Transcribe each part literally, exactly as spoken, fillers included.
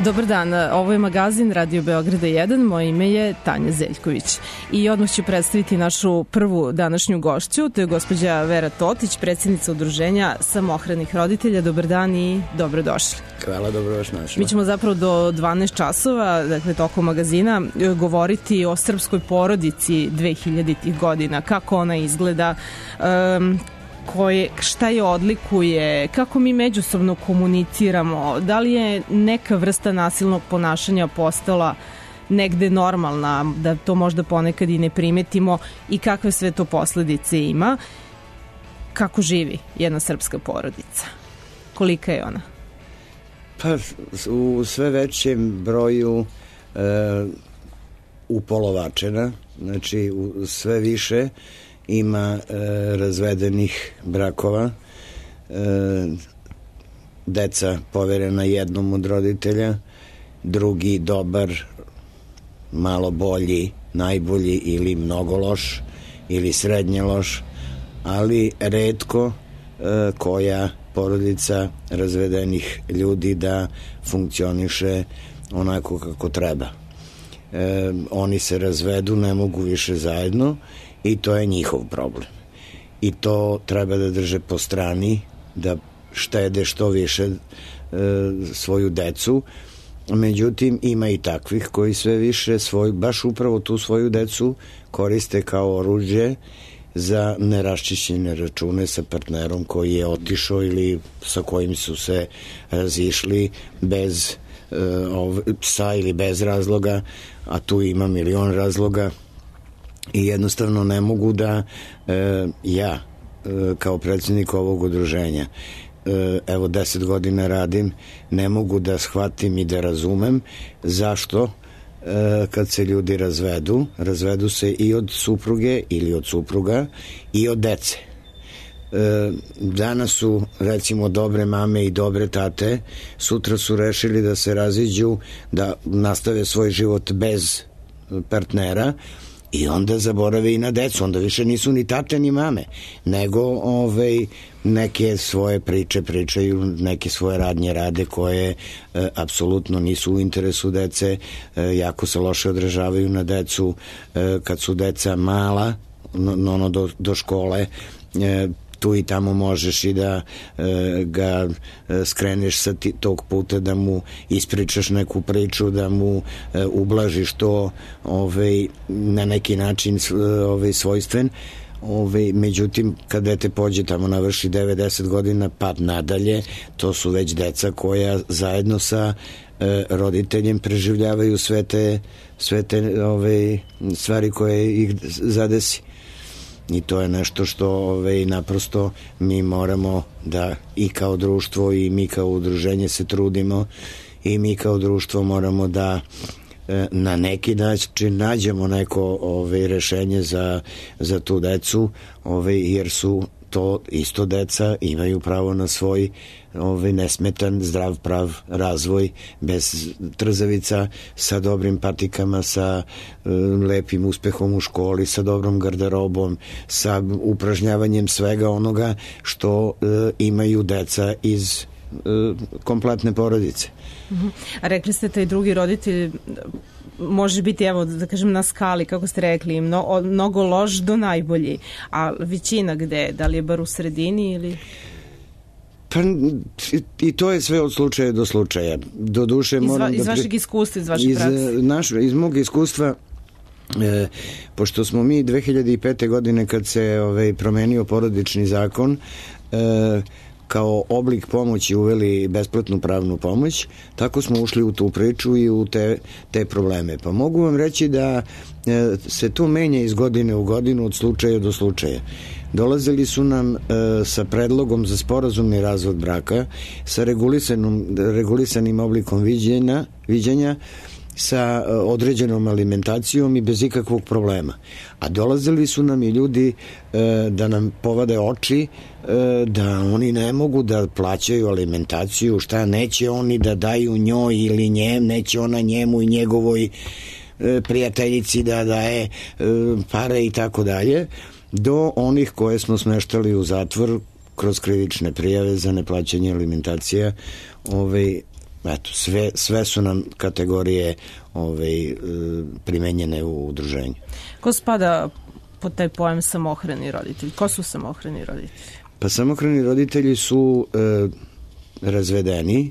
Dobar dan, ovo je magazin Radio Beograda jedan, moje ime je Tanja Zeljković i odmah ću predstaviti našu prvu današnju gošću, to je gospođa Vera Totić, predsjednica udruženja samohranih roditelja. Dobar dan i dobrodošli. Hvala, dobro vas našla. Mi ćemo zapravo do dvanaest časova, dakle tokom magazina, govoriti o srpskoj porodici dvehiljaditih godina, kako ona izgleda, um, koje, šta je odlikuje, kako mi međusobno komuniciramo, da li je neka vrsta nasilnog ponašanja postala negde normalna, da to možda ponekad i ne primetimo i kakve sve to posledice ima, kako živi jedna srpska porodica, kolika je ona? Pa u sve većem broju e, upolovačena, znači u sve više ima e, razvedenih brakova, e, deca poverena jednom od roditelja, drugi dobar, malo bolji, najbolji ili mnogo loš ili srednje loš, ali retko e, koja porodica razvedenih ljudi da funkcioniše onako kako treba. E, oni se razvedu, ne mogu više zajedno i to je njihov problem. I to treba da drže po strani, da štede što više e, svoju decu. Međutim, ima i takvih koji sve više svoj, baš upravo tu svoju decu koriste kao oruđe za neraščišćene račune sa partnerom koji je otišao ili sa kojim su se razišli bez e, ov, sa ili bez razloga, a tu ima milion razloga i jednostavno ne mogu da e, ja e, kao predsjednik ovog udruženja, e, evo deset godina radim, ne mogu da shvatim i da razumem zašto kad se ljudi razvedu, razvedu se i od supruge ili od supruga i od dece. Danas su recimo dobre mame i dobre tate, sutra su rešili da se raziđu, da nastave svoj život bez partnera i onda zaborave i na decu, onda više nisu ni tate ni mame, nego ovaj, neke svoje priče pričaju, neke svoje radnje rade koje e, apsolutno nisu u interesu dece, e, jako se loše odražavaju na decu e, kad su deca mala, no, ono do, do škole, e, tu i tamo možeš i da e, ga e, skreneš sa ti, tog puta, da mu ispričaš neku priču, da mu e, ublažiš to ovaj, na neki način ovaj, svojstven. Ove, međutim, kad dete pođe tamo navrši devet deset godina pa nadalje, to su već deca koja zajedno sa e, roditeljem preživljavaju sve te, sve te ove, stvari koje ih zadesi. I to je nešto što ove, naprosto mi moramo da i kao društvo i mi kao udruženje se trudimo i mi kao društvo moramo da na neki način nađemo neko ove, rešenje za, za tu decu, ove, jer su to isto deca, imaju pravo na svoj ove, nesmetan, zdrav, prav razvoj, bez trzavica, sa dobrim patikama, sa e, lepim uspehom u školi, sa dobrom garderobom, sa upražnjavanjem svega onoga što e, imaju deca iz e, kompletne porodice. A rekli ste taj drugi roditelj može biti, evo da kažem na skali, kako ste rekli, mno, mnogo loš do najbolji, a većina gde, da li je bar u sredini ili... Pa i to je sve od slučaja do slučaja. Do duše, iz, moram va, iz da... vašeg iskustva, iz vašeg iz, prakse? Naš, iz mog iskustva, e, pošto smo mi dve hiljade pete. godine kad se ovaj, promenio porodični zakon, e, kao oblik pomoći uveli besplatnu pravnu pomoć, tako smo ušli u tu priču i u te, te probleme. Pa mogu vam reći da e, se to menja iz godine u godinu, od slučaja do slučaja. Dolazili su nam e, sa predlogom za sporazumni razvod braka, sa regulisanom, regulisanim oblikom viđenja, viđenja, sa određenom alimentacijom i bez ikakvog problema. A dolazili su nam i ljudi e, da nam povade oči, e, da oni ne mogu da plaćaju alimentaciju, šta neće oni da daju njoj ili njem, neće ona njemu i njegovoj e, prijateljici da daje e, pare i tako dalje, do onih koje smo smeštali u zatvor kroz krivične prijave za neplaćanje alimentacija, ovaj, eto, sve, sve su nam kategorije ovaj, primenjene u udruženju. Ko spada pod taj pojam samohrani roditelji? Ko su samohrani roditelji? Pa samohrani roditelji su e, razvedeni,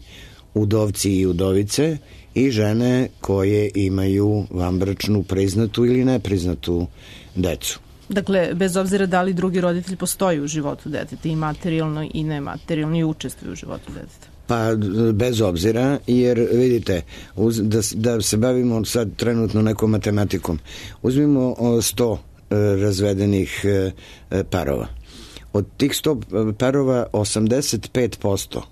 udovci i udovice i žene koje imaju vanbračnu priznatu ili nepriznatu decu. Dakle, bez obzira da li drugi roditelj postoji u životu deteta, i materijalno i nematerijalno, i učestvuje u životu deteta. Pa bez obzira, jer vidite, uz, da, da se bavimo sad trenutno nekom matematikom, uzmimo sto e, razvedenih e, parova. Od tih sto parova osamdeset pet posto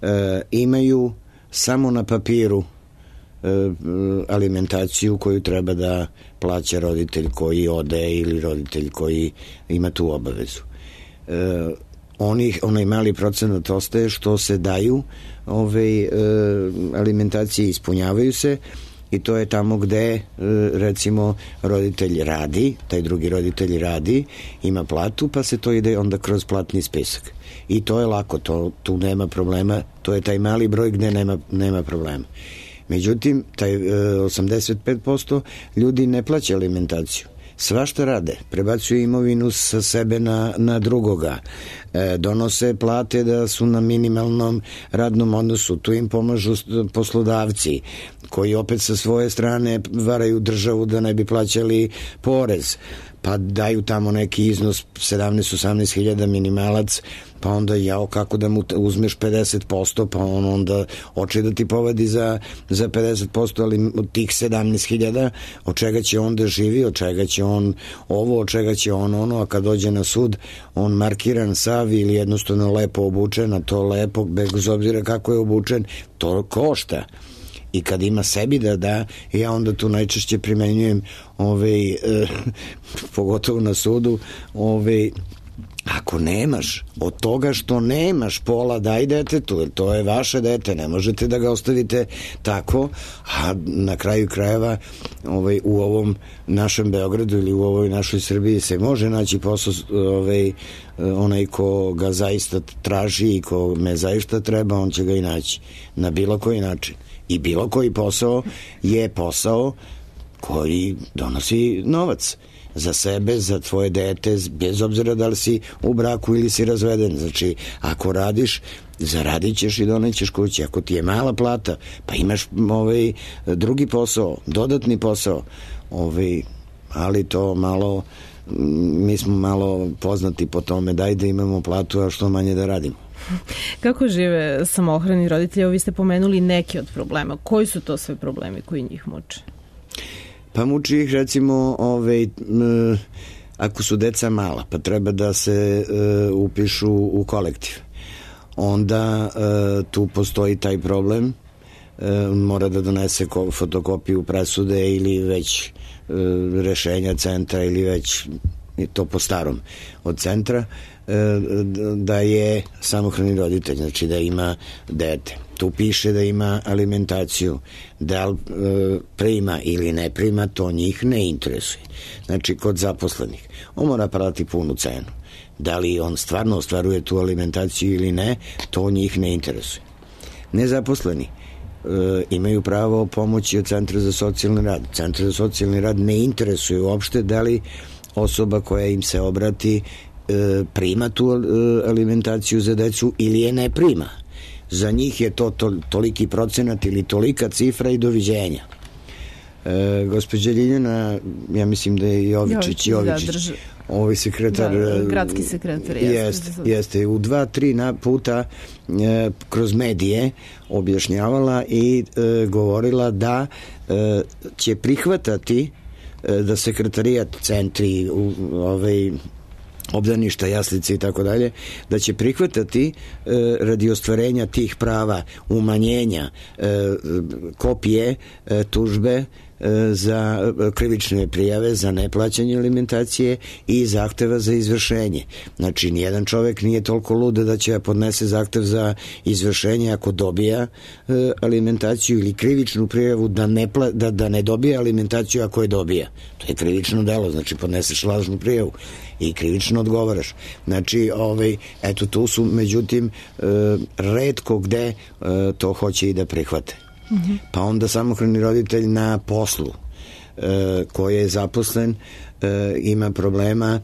e, imaju samo na papiru e, alimentaciju koju treba da plaća roditelj koji ode ili roditelj koji ima tu obavezu. E, Onih, onaj mali procenat ostaje što se daju ove e, alimentacije, ispunjavaju se, i to je tamo gde e, recimo roditelj radi, taj drugi roditelj radi, ima platu, pa se to ide onda kroz platni spisak. I to je lako, to, tu nema problema, to je taj mali broj gde nema, nema problema. Međutim, taj e, osamdeset pet posto ljudi ne plaća alimentaciju. Svašta rade, prebacuju imovinu sa sebe na, na drugoga, e, donose plate da su na minimalnom radnom odnosu, tu im pomažu poslodavci koji opet sa svoje strane varaju državu da ne bi plaćali porez, pa daju tamo neki iznos sedamnaest osamnaest hiljada minimalac, pa onda jao kako da mu uzmeš pedeset posto, pa on onda oče da ti povadi za, za pedeset posto, ali od tih sedamnaest hiljada od čega će on da živi, od čega će on ovo, od čega će on ono, a kad dođe na sud on markiran sav ili jednostavno lepo obučen, a to lepo bez obzira kako je obučen, to košta. I kad ima sebi da da, ja onda tu najčešće primenjujem ovaj, eh, pogotovo na sudu, ovaj, ako nemaš od toga što nemaš pola, daj detetu, jer to je vaše dete, ne možete da ga ostavite tako, a na kraju krajeva ovaj, u ovom našem Beogradu ili u ovoj našoj Srbiji se može naći posao, ovaj, onaj ko ga zaista traži i ko me zaista treba, on će ga i naći na bilo koji način. I bilo koji posao je posao koji donosi novac za sebe, za tvoje dete, bez obzira da li si u braku ili si razveden. Znači, ako radiš, zaradit ćeš i donećeš kući. Ako ti je mala plata, pa imaš ovaj drugi posao, dodatni posao, ovaj, ali to malo, mi smo malo poznati po tome, daj da imamo platu, a što manje da radimo. Kako žive samohrani roditelji? Evo, vi ste pomenuli neke od problema. Koji su to sve problemi koji njih muče? Pa muči ih recimo ove, m, ako su deca mala, pa treba da se e, upišu u kolektiv. Onda e, tu postoji taj problem, e, mora da donese fotokopiju presude ili već e, rešenja centra ili već to po starom od centra, da je samohrani roditelj, znači da ima dete. Tu piše da ima alimentaciju, da li prima ili ne prima, to njih ne interesuje. Znači, kod zaposlenih on mora platiti punu cenu. Da li on stvarno ostvaruje tu alimentaciju ili ne, to njih ne interesuje. Nezaposleni imaju pravo pomoći od Centra za socijalni rad. Centar za socijalni rad ne interesuje uopšte da li osoba koja im se obrati prima tu alimentaciju za decu ili je ne prima. Za njih je to, to toliki procenat ili tolika cifra i doviđenja. E, gospođa Ljiljana, ja mislim da je Jovičić, Jovičić, Jovičić da, ovaj sekretar, da, gradski sekretar, jeste, jeste u dva, tri puta e, kroz medije objašnjavala i e, govorila da e, će prihvatati e, da sekretarijat, centri, u, ovaj obdaništa, jaslice i tako dalje, da će prihvatati e, radi ostvarenja tih prava umanjenja e, kopije e, tužbe za krivične prijave za neplaćanje alimentacije i zahteva za izvršenje. Znači, nijedan čovek nije toliko lud da će podnese zahtev za izvršenje ako dobija alimentaciju ili krivičnu prijavu da ne, pla, da, da ne dobija alimentaciju ako je dobija. To je krivično delo, znači podneseš lažnu prijavu i krivično odgovaraš. Znači, ovaj, eto, tu su, međutim, retko gde to hoće i da prihvate. Mm-hmm. Pa onda samohrani roditelj na poslu e, koji je zaposlen e, ima problema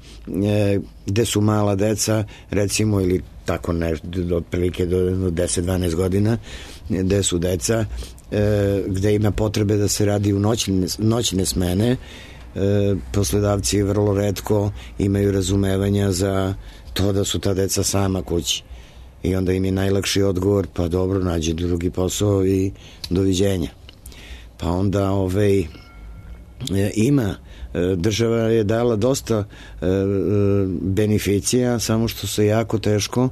e, gde su mala deca, recimo, ili tako nešto, otprilike do deset dvanaest godina, gde su deca e, gde ima potrebe da se radi u noćne, noćne smene. E, poslodavci vrlo retko imaju razumevanja za to da su ta deca sama kući. I onda im je najlakši odgovor, pa dobro, nađi drugi posao i doviđenja. Pa onda ovaj, ima, država je dala dosta beneficija, samo što se jako teško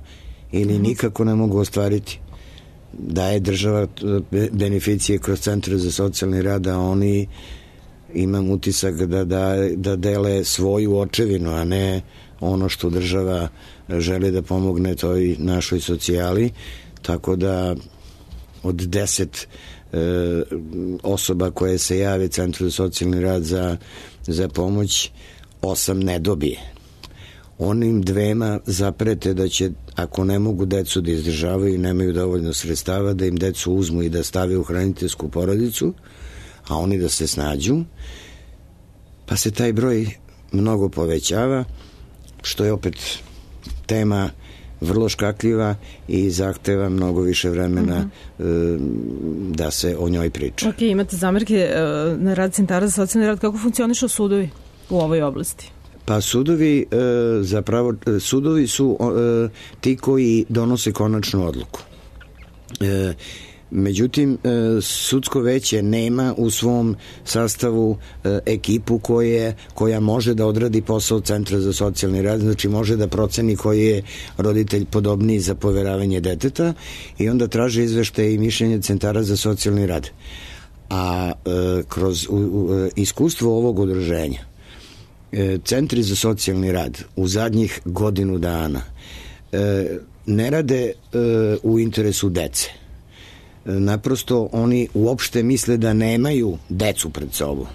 ili nikako ne mogu ostvariti. Daje država beneficije kroz centre za socijalni rad, a oni, imam utisak da, da, da dele svoju očevinu, a ne ono što država želi da pomogne toj našoj socijali, tako da od deset e, osoba koje se jave Centru za socijalni rad za, za pomoć, osam ne dobije. Onim dvema zaprete da će, ako ne mogu decu da izdržavaju i nemaju dovoljno sredstava, da im decu uzmu i da stave u hraniteljsku porodicu, a oni da se snađu, pa se taj broj mnogo povećava, što je opet tema vrlo škakljiva i zahteva mnogo više vremena uh-huh. da se o njoj priča. Ok, imate zamerke na rad centara za socijalni rad. Kako funkcionišu sudovi u ovoj oblasti? Pa sudovi zapravo, sudovi su ti koji donose konačnu odluku. Međutim, sudsko veće nema u svom sastavu ekipu koje, koja može da odradi posao Centra za socijalni rad, znači može da proceni koji je roditelj podobniji za poveravanje deteta i onda traže izveštaje i mišljenje centara za socijalni rad. A kroz u, u, iskustvo ovog udruženja, centri za socijalni rad u zadnjih godinu dana ne rade u interesu dece. Naprosto oni uopšte misle da nemaju decu pred sobom,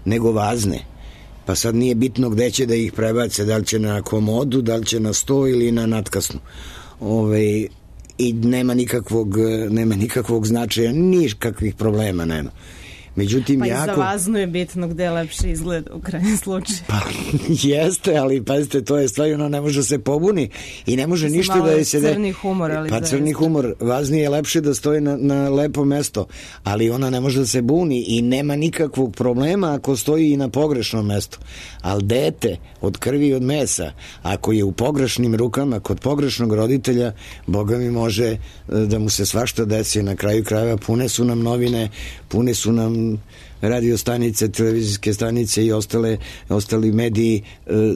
nego vazne. Pa sad nije bitno gde će da ih prebace, da li će na komodu, da li će na sto ili na natkasnu. Ove, i nema nikakvog, nema nikakvog značaja, nikakvih problema nema. Međutim, pa jako... i za vaznu je bitno gde je lepše izgled u krajnjem slučaju. Pa jeste, ali pazite, to je stvar, ona ne može se pobuni i ne može ništa da je se... Crni humor, ali... Pa crni humor, vazni je lepše da stoji na, na lepo mesto, ali ona ne može da se buni i nema nikakvog problema ako stoji i na pogrešnom mestu. Ali dete od krvi i od mesa, ako je u pogrešnim rukama kod pogrešnog roditelja, Boga mi može da mu se svašta desi. Na kraju krajeva pune su nam novine, pune su nam radio stanice, televizijske stanice i ostale, ostali mediji e,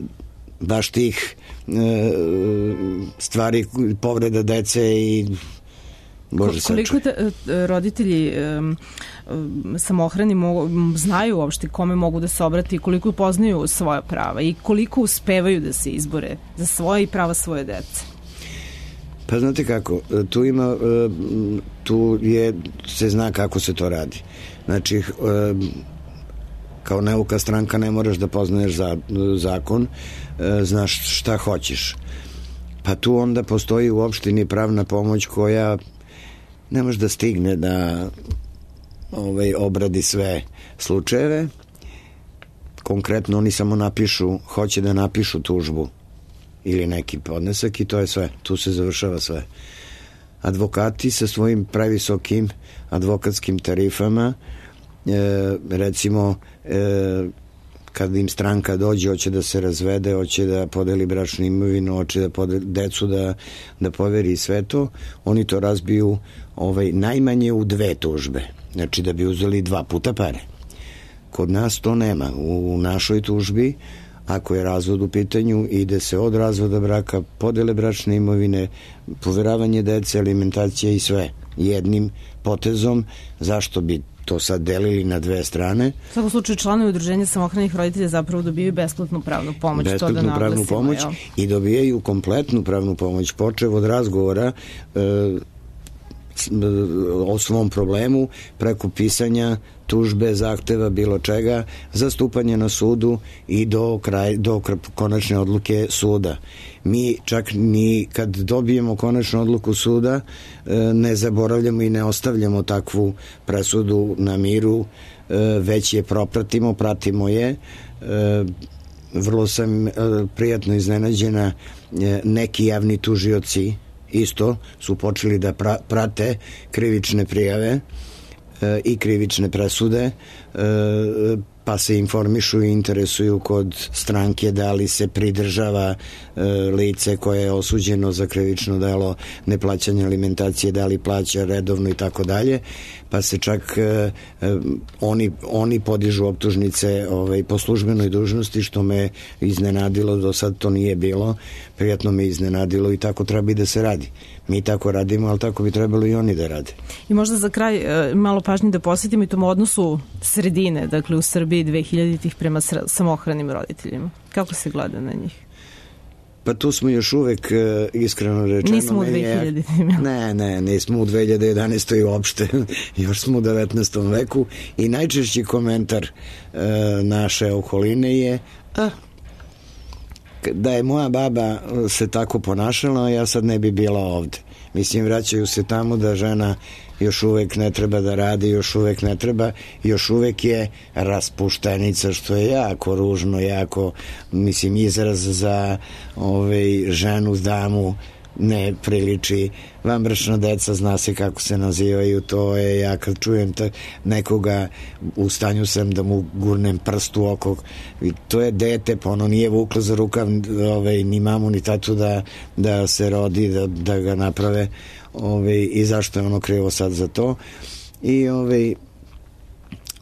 baš tih e, stvari, povreda dece i Bože sačuvaj. Koliko te, roditelji e, samohrani mogu, znaju uopšte kome mogu da se obrati i koliko poznaju svoja prava i koliko uspevaju da se izbore za svoje i prava svoje dece? Pa znate kako, tu ima, tu je, se zna kako se to radi. Znači, kao neuka stranka ne moraš da poznaješ za, zakon, znaš šta hoćeš. Pa tu onda postoji u opštini pravna pomoć koja ne može da stigne da ovaj, obradi sve slučajeve. Konkretno oni samo napišu, hoće da napišu tužbu ili neki podnesak i to je sve. Tu se završava sve. Advokati sa svojim previsokim advokatskim tarifama, e, recimo e, kad im stranka dođe, hoće da se razvede, hoće da podeli bračnu imovinu, hoće da podeli decu, da, da poveri sve to, oni to razbiju ovaj, najmanje u dve tužbe. Znači da bi uzeli dva puta pare. Kod nas to nema. U našoj tužbi, ako je razvod u pitanju, ide se od razvoda braka, podele bračne imovine, poveravanje dece, alimentacija i sve jednim potezom. Zašto bi to sad delili na dve strane. U svakom slučaju članovi udruženja samohranih roditelja zapravo dobijaju besplatnu pravnu pomoć. Besplatnu to da pravnu pomoć jel? I dobijaju kompletnu pravnu pomoć, počev od razgovora e, o svom problemu, preko pisanja tužbe, zahteva, bilo čega, zastupanje na sudu i do, kraj, do konačne odluke suda. Mi čak ni kad dobijemo konačnu odluku suda ne zaboravljamo i ne ostavljamo takvu presudu na miru, već je propratimo, pratimo je. Vrlo sam prijatno iznenađena, neki javni tužioci isto su počeli da pra, prate krivične prijave e, i krivične presude, e, pa se informišu i interesuju kod stranke da li se pridržava e, lice koje je osuđeno za krivično delo neplaćanja alimentacije, da li plaća redovno i tako dalje, pa se čak e, e, oni, oni podižu optužnice ovaj, po službenoj dužnosti, što me iznenadilo, do sad to nije bilo, prijatno me iznenadilo i tako treba i da se radi. Mi tako radimo, ali tako bi trebalo i oni da rade. I možda za kraj e, malo pažnje da posjetimo i tom odnosu sredine, dakle u Srbiji dve hiljaditih prema samohranim roditeljima. Kako se gleda na njih? Pa tu smo još uvek, iskreno rečeno... Nismo u dve hiljaditim. Ne, ne, nismo u dve hiljade jedanaestoj uopšte. Još smo u devetnaestom veku i najčešći komentar e, naše okoline je a, da je moja baba se tako ponašala, ja sad ne bi bila ovde. Mislim, vraćaju se tamo da žena još uvek ne treba da radi, još uvek ne treba, još uvek je raspuštenica, što je jako ružno, jako, mislim, izraz za ovaj, ženu, damu, ne priliči. Vanbračna deca, zna se kako se nazivaju, to je, ja kad čujem ta, nekoga, u stanju sam da mu gurnem prst u oko, to je dete, pa ono nije vuklo za rukav ovaj, ni mamu ni tatu da, da se rodi, da, da ga naprave, ovaj, i zašto je ono krivo sad za to. I ovaj,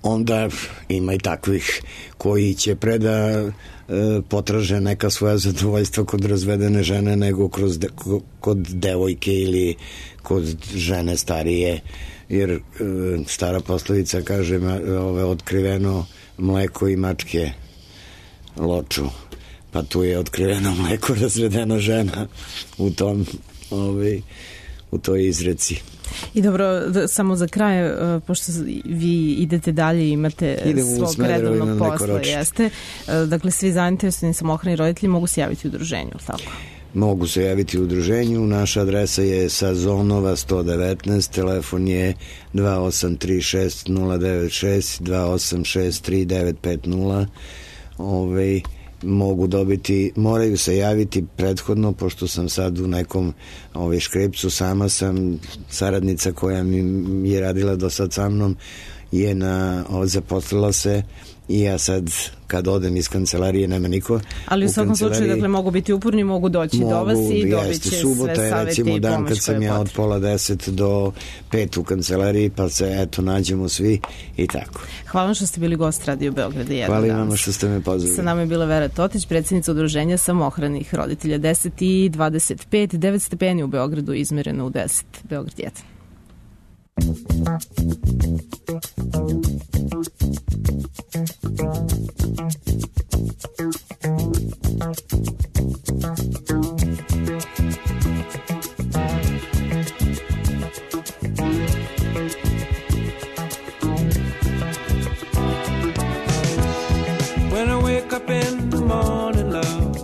onda ima i takvih koji će pre da e, potraže neka svoja zadovoljstva kod razvedene žene nego kroz de, kod devojke ili kod žene starije, jer e, stara poslovica kaže ove, otkriveno mleko i mačke loču, pa tu je otkriveno mleko, razvedena žena u tom ovaj, u toj izreci. I dobro, da, samo za kraj, pošto vi idete dalje i imate Idemo svog redovnog posla, jeste. Dakle, svi zainteresovani samohrani roditelji mogu se javiti u udruženju, tako? Mogu se javiti u udruženju. Naša adresa je Sazonova sto devetnaest, telefon je dva osam tri šest nula devet šest dva osam šest tri devet pet nula. Ovaj mogu dobiti, moraju se javiti prethodno, pošto sam sad u nekom ovaj, škripcu, sama sam, saradnica koja mi je radila do sad sa mnom je na, zaposlila se i ja sad kad odem iz kancelarije nema niko. Ali u, u svakom slučaju, dakle, mogu biti uporni, mogu doći mogu, do vas i dobit će subota sve savete recimo, i dan pomoć kad sam ja od pola deset do pet u kancelariji, pa se eto nađemo svi i tako. Hvala vam što ste bili gost Radio Beograda jedan. Hvala vam što ste me pozvali. Sa nama je bila Vera Totić, predsjednica udruženja samohranih roditelja. Deset i dvadeset pet, devet stepeni u Beogradu, izmereno u deset. Beograd jedan. When I wake up in the morning, love,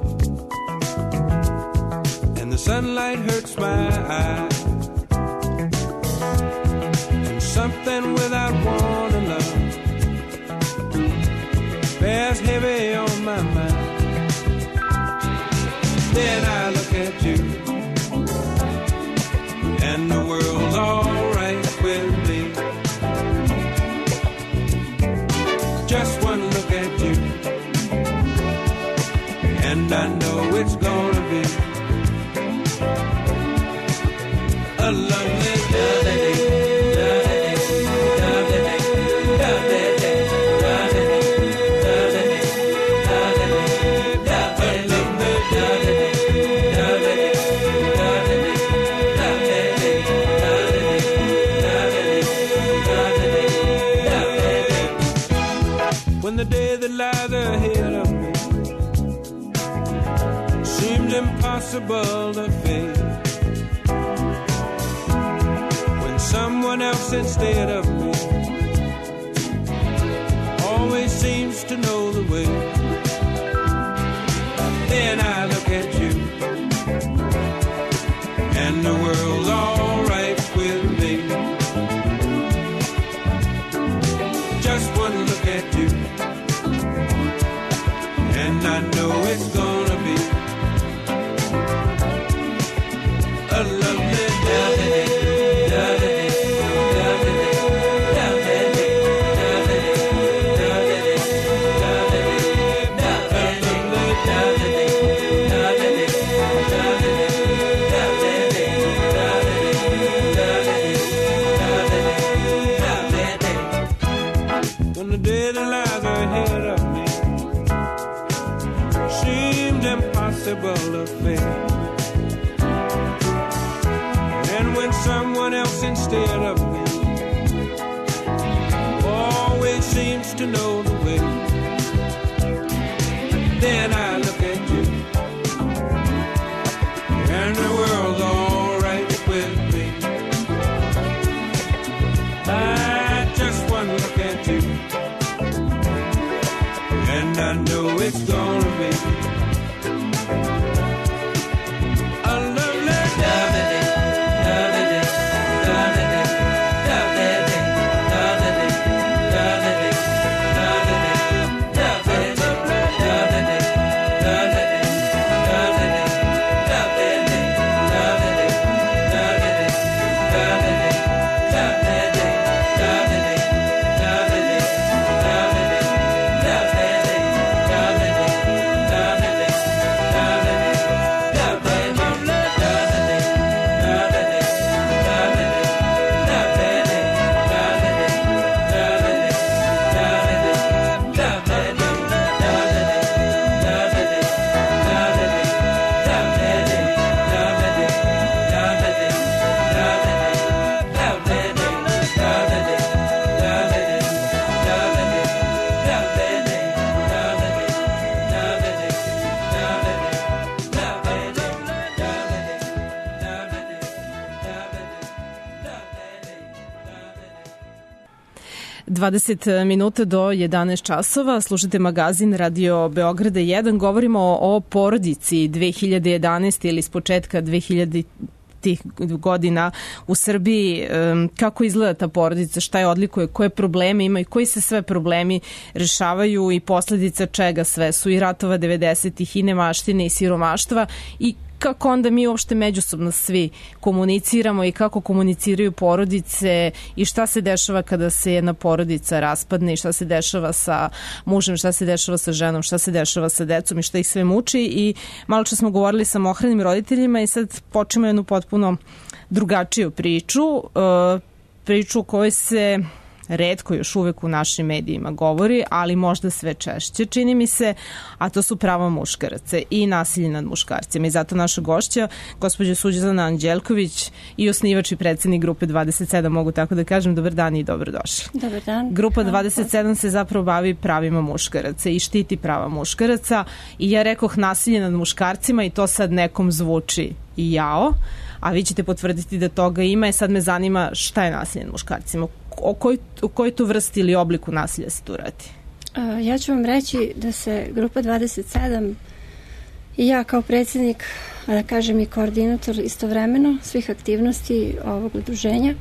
and the sunlight hurts my eyes, something without warning, love, impossible to fade. When someone else instead of me always seems to know the way, then I look at you and the world's all right with me. Just one look at you and I know it's gonna be a lovely day. When the day that lies ahead of me seemed impossible to face, and when someone else instead of me always seems to know the way, then I look at you and the world's all right with me. I just one look at you and I know it's gonna be a lovely day. dvadeset minuta do jedanaest časova, slušate magazin Radio Beograda jedan, govorimo o porodici dve hiljade jedanaeste ili s početka dve hiljade godina u Srbiji, kako izgleda ta porodica, šta je odlikuje, koje probleme ima i koji se sve problemi rešavaju i posledica čega sve su i ratova devedesetih i nemaštine i siromaštva i kako onda mi uopšte međusobno svi komuniciramo i kako komuniciraju porodice i šta se dešava kada se jedna porodica raspadne i šta se dešava sa mužem, šta se dešava sa ženom, šta se dešava sa decom i šta ih sve muči. I malo čas smo govorili sa samohranim roditeljima i sad počnemo jednu potpuno drugačiju priču, priču u kojoj se retko još uvek u našim medijima govori, ali možda sve češće, čini mi se, a to su prava muškaraca i nasilje nad muškarcima. I zato naša gošća, gospođa Suđana Anđelković i osnivač i predsednik Grupe dvadeset sedam, mogu tako da kažem, dobar dan i dobrodošli. Dobar dan. Grupa dvadeset sedam se zapravo bavi pravima muškaraca i štiti prava muškaraca i ja rekoh nasilje nad muškarcima i to sad nekom zvuči i jao, a vi ćete potvrditi da toga ima i sad me zanima šta je nasilje nad muškarcima. O koj, o kojoj tu vrsti ili obliku nasilja se tu radi? Ja ću vam reći da se Grupa dvadeset sedam i ja kao predsjednik, da kažem i koordinator istovremeno svih aktivnosti ovog udruženja,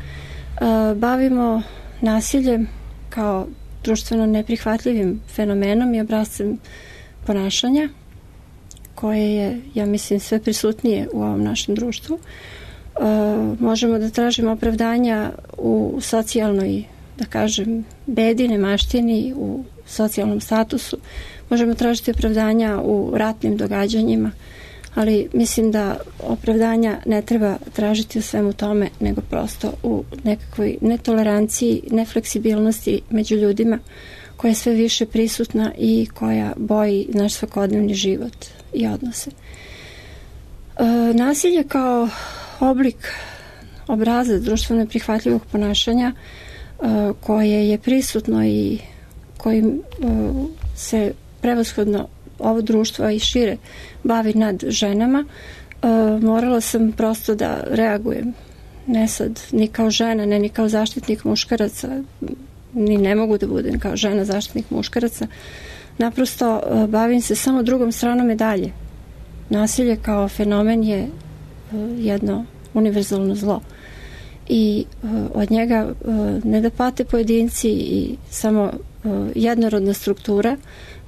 bavimo nasiljem kao društveno neprihvatljivim fenomenom i obrascem ponašanja koje je, ja mislim, sve prisutnije u ovom našem društvu. Uh, možemo da tražimo opravdanja u socijalnoj, da kažem, bedi, nemaštini, u socijalnom statusu. Možemo tražiti opravdanja u ratnim događanjima, ali mislim da opravdanja ne treba tražiti u svemu tome, nego prosto u nekakvoj netoleranciji, nefleksibilnosti među ljudima koja je sve više prisutna i koja boji naš svakodnevni život i odnose. Uh, nasilje kao oblik obraza društveno neprihvatljivog ponašanja uh, koje je prisutno i kojim uh, se prevashodno ovo društvo i šire bavi nad ženama, morala sam prosto da reagujem. Ne sad, ni kao žena, ne ni kao zaštitnik muškaraca, ni ne mogu da budem kao žena zaštitnik muškaraca. Naprosto bavim se samo drugom stranom medalje. Nasilje kao fenomen je jedno univerzalno zlo. I od njega ne da pate pojedinci i samo jednorodna struktura,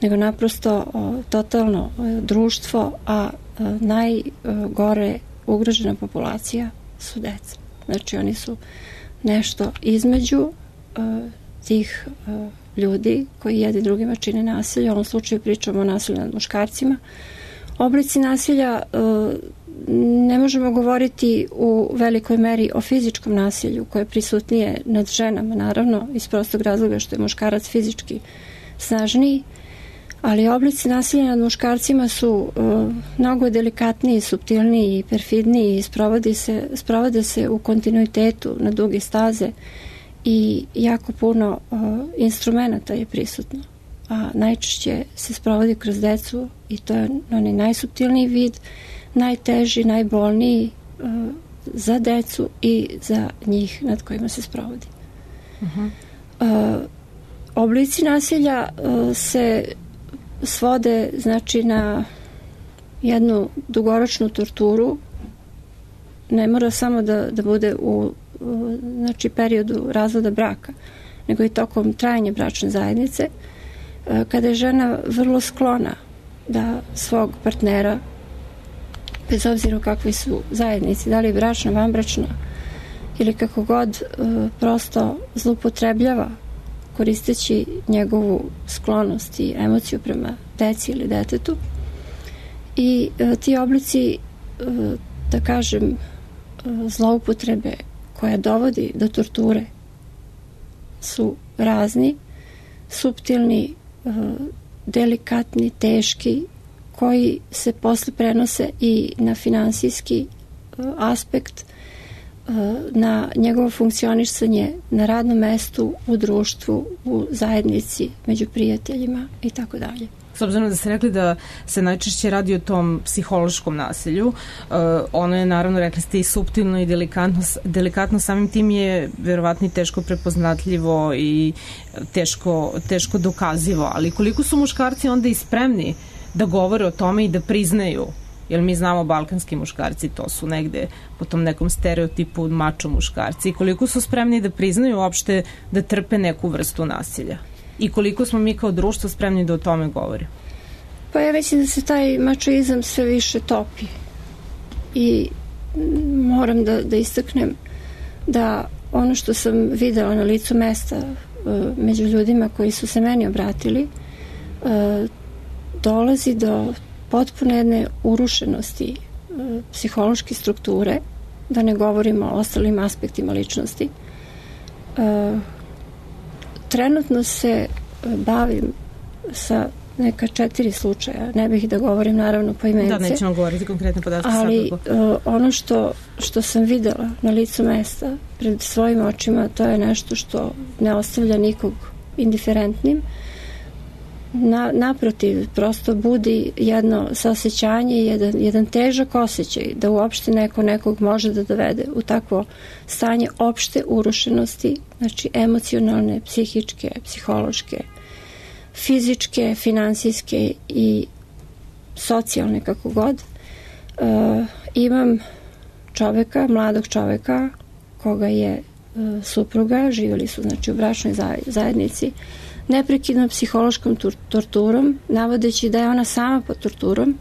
nego naprosto totalno društvo, a najgore ugrožena populacija su deca. Znači oni su nešto između tih ljudi koji jedni drugima čine nasilje. U ovom slučaju pričamo o nasilju nad muškarcima. Oblici nasilja ne možemo govoriti u velikoj meri o fizičkom nasilju koje je prisutnije nad ženama, naravno, iz prostog razloga što je muškarac fizički snažniji, ali oblici nasilja nad muškarcima su uh, mnogo delikatniji, suptilniji i perfidniji i sprovode se, sprovode se u kontinuitetu na duge staze i jako puno uh, instrumenta je prisutno. A najčešće se sprovodi kroz decu i to je onaj najsuptilniji vid, najteži, najbolniji uh, za decu i za njih nad kojima se sprovodi. Uh-huh. Uh, oblici nasilja uh, se svode znači na jednu dugoročnu torturu. Ne mora samo da, da bude u, u znači periodu razvoda braka, nego i tokom trajanja bračne zajednice, uh, kada je žena vrlo sklona da svog partnera, bez obzira u kakvi su zajednici, da li bračna, vanbračna ili kako god, prosto zloupotrebljava koristeći njegovu sklonost i emociju prema deci ili detetu. I ti oblici, da kažem, zloupotrebe koja dovodi do torture su razni, suptilni, delikatni, teški, koji se posle prenose i na finansijski uh, aspekt, uh, na njegovo funkcionisanje na radnom mestu, u društvu, u zajednici, među prijateljima i tako dalje. S obzirom da ste rekli da se najčešće radi o tom psihološkom nasilju, uh, ono je naravno, rekli ste, i suptilno i delikatno, delikatno samim tim je verovatno i teško prepoznatljivo i teško, teško dokazivo, ali koliko su muškarci onda i spremni da govore o tome i da priznaju, jer mi znamo balkanski muškarci, to su negde po tom nekom stereotipu mačo muškarci, i koliko su spremni da priznaju uopšte da trpe neku vrstu nasilja i koliko smo mi kao društvo spremni da o tome govorimo. Pa ja mislim da se taj mačoizam sve više topi i moram da, da istaknem da ono što sam videla na licu mesta među ljudima koji su se meni obratili, dolazi do potpuno jedne urušenosti e, psihološke strukture, da ne govorimo o ostalim aspektima ličnosti. E, trenutno se bavim sa neka četiri slučaja, ne bih da govorim naravno poimence. Da, nećemo govoriti konkretne podatke. Ali uh, ono što, što sam videla na licu mesta pred svojim očima, to je nešto što ne ostavlja nikog indiferentnim. Na, naprotiv, prosto budi jedno saosećanje, jedan, jedan težak osjećaj da uopšte neko nekog može da dovede u takvo stanje opšte urušenosti, znači emocionalne, psihičke, psihološke, fizičke, finansijske i socijalne, kako god. E, imam čoveka, mladog čoveka, koga je e, supruga, živjeli su znači u bračnoj zajednici, neprekidnom psihološkom torturom, navodeći da je ona sama pod torturom,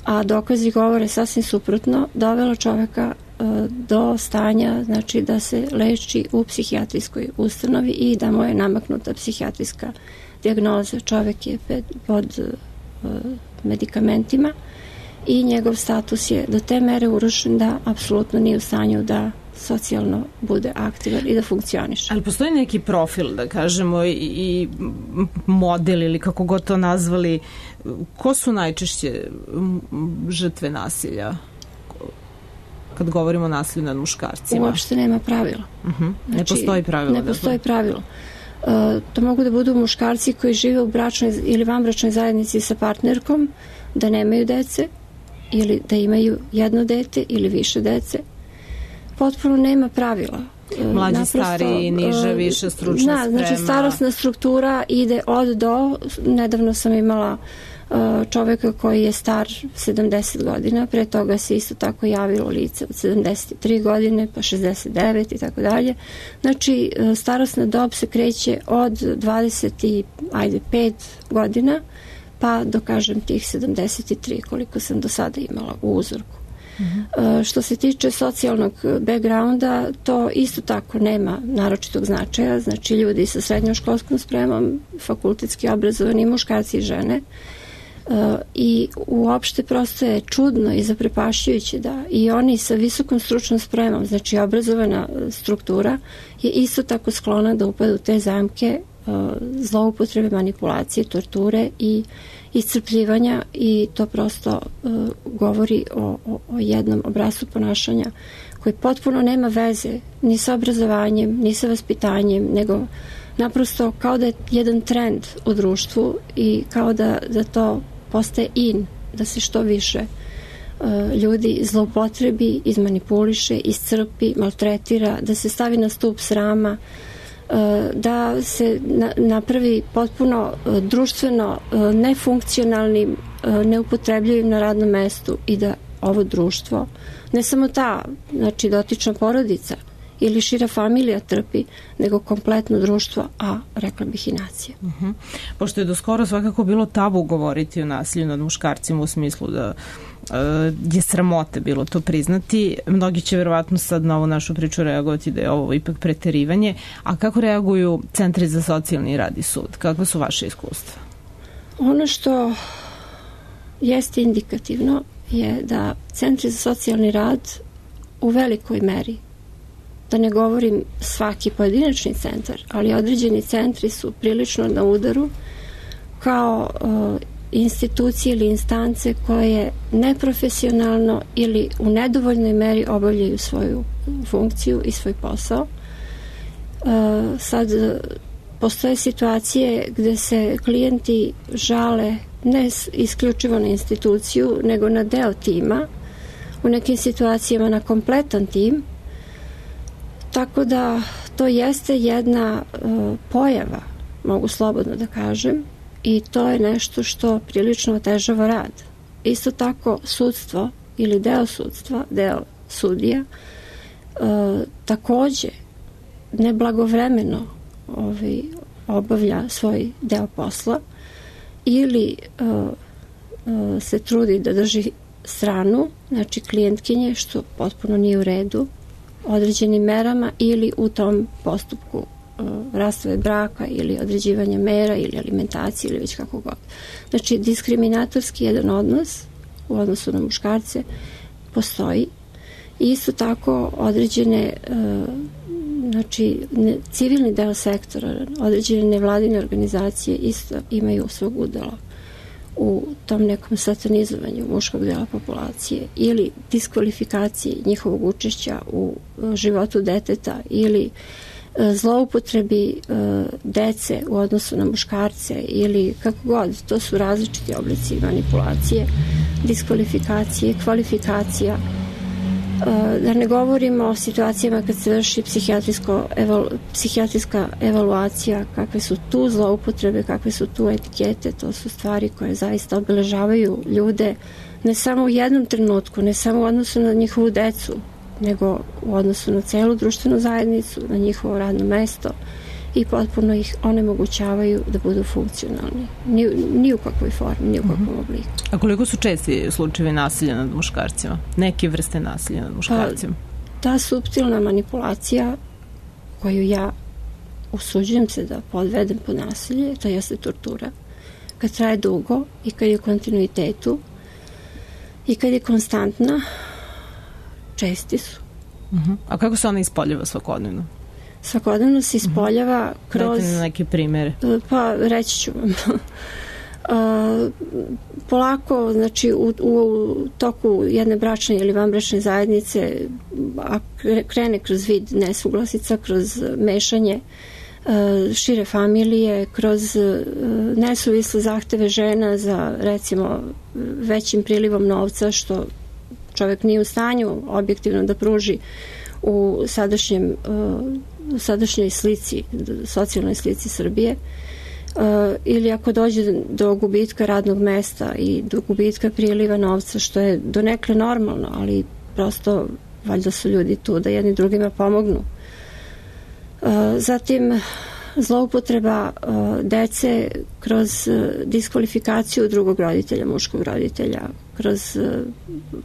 a dokazi govore sasvim suprotno, dovela čoveka e, do stanja, znači da se leči u psihijatrijskoj ustanovi i da mu je namaknuta psihijatrijska dijagnoza. Čovek je ped, pod e, medikamentima i njegov status je do te mere urušen da apsolutno nije u stanju da socijalno bude aktivan i da funkcioniše. Ali postoji neki profil, da kažemo, i, i model ili kako god to nazvali, ko su najčešće žrtve nasilja kad govorimo o nasilju nad muškarcima? Uopšte nema pravila. Uh-huh. Ne znači, postoji pravilo. Ne postoji pravilo. Uh, to mogu da budu muškarci koji žive u bračnoj ili vanbračnoj zajednici sa partnerkom, da nemaju dece ili da imaju jedno dete ili više dece. Potpuno nema pravila. Mlađi, Naprosto, stari, niže, više stručna na, sprema. Znači starosna struktura ide od do. Nedavno sam imala čoveka koji je star sedamdeset godina, pre toga se isto tako javilo lice od sedamdeset tri godine, pa šezdeset devet i tako dalje. Znači, starosna dob se kreće od dvadeset pet godina, pa do, kažem, tih sedamdeset tri, koliko sam do sada imala u uzorku. Uh-huh. Što se tiče socijalnog backgrounda, to isto tako nema naročitog značaja, znači ljudi sa srednjoškolskom spremom, fakultetski obrazovani muškarci i žene. Uh, i uopšte prosto je čudno i zaprepašćujuće da i oni sa visokom stručnom spremom, znači obrazovana struktura, je isto tako sklona da upadu u te zamke uh, zloupotrebe, manipulacije, torture i iscrpljivanja, i to prosto uh, govori o, o, o jednom obrascu ponašanja koji potpuno nema veze ni sa obrazovanjem, ni sa vaspitanjem, nego naprosto kao da je jedan trend u društvu i kao da, da to postaje in, da se što više uh, ljudi zloupotrebi, izmanipuliše, iscrpi, maltretira, da se stavi na stup srama, uh, da se na, napravi potpuno uh, društveno uh, nefunkcionalnim, uh, neupotrebljivim na radnom mestu, i da ovo društvo, ne samo ta, znači dotična porodica ili šira familija trpi, nego kompletno društvo, a rekla bih i nacija. Uh-huh. Pošto je do skoro svakako bilo tabu govoriti o nasilju nad muškarcima, u smislu da uh, je sramote bilo to priznati, mnogi će verovatno sad na ovu našu priču reagovati da je ovo ipak preterivanje, a kako reaguju centri za socijalni rad i sud? Kakve su vaše iskustva? Ono što jeste indikativno je da centri za socijalni rad u velikoj meri, da ne govorim svaki pojedinačni centar, ali određeni centri su prilično na udaru kao uh, institucije ili instance koje neprofesionalno ili u nedovoljnoj meri obavljaju svoju funkciju i svoj posao. Uh, sad postoje situacije gde se klijenti žale ne isključivo na instituciju, nego na deo tima, u nekim situacijama na kompletan tim. Tako da to jeste jedna uh, pojava, mogu slobodno da kažem, i to je nešto što prilično otežava rad. Isto tako sudstvo ili deo sudstva, deo sudija, uh, takođe neblagovremeno ovaj, obavlja svoj deo posla ili uh, uh, se trudi da drži stranu, znači klijentkinje, što potpuno nije u redu, određenim merama ili u tom postupku uh, rastave braka ili određivanja mera ili alimentacije ili već kako god. Znači, diskriminatorski jedan odnos u odnosu na muškarce postoji. I isto tako određene uh, znači ne, civilni deo sektora, određene nevladine organizacije isto imaju svog udela u tom nekom satanizovanju muškog dela populacije ili diskvalifikacije njihovog učešća u životu deteta ili zloupotrebi dece u odnosu na muškarce ili kako god. To su različiti oblici manipulacije, diskvalifikacije, kvalifikacija. Da ne govorimo o situacijama kad se vrši psihijatrijsko evalu, psihijatrijska evaluacija, kakve su tu zloupotrebe, kakve su tu etikete. To su stvari koje zaista obeležavaju ljude ne samo u jednom trenutku, ne samo u odnosu na njihovu decu, nego u odnosu na celu društvenu zajednicu, na njihovo radno mesto, i potpuno ih onemogućavaju da budu funkcionalni. Ni, ni u kakvoj formi, ni u kakvom obliku. A koliko su česti slučajevi nasilja nad muškarcima? Neke vrste nasilja nad muškarcima? Pa, ta suptilna manipulacija koju ja usuđujem se da podvedem po nasilje, to jeste tortura. Kad traje dugo i kad je u kontinuitetu i kad je konstantna, česti su. Uh-huh. A kako se ona ispoljava svakodnevno? Svakodnevno se ispoljava uh-huh. kroz... Dajte na neke primere. Pa, reći ću vam. Uh, polako, znači u, u toku jedne bračne ili vanbračne zajednice, a krene kroz vid nesuglasica, kroz mešanje šire familije, kroz nesuvisle zahteve žena za recimo većim prilivom novca što čovjek nije u stanju objektivno da pruži u sadašnjem u sadašnjoj slici, socijalnoj slici Srbije, ili ako dođe do gubitka radnog mesta i do gubitka priliva novca, što je donekle normalno, ali prosto valjda su ljudi tu da jedni drugima pomognu. Zatim zloupotreba dece kroz diskvalifikaciju drugog roditelja, muškog roditelja, kroz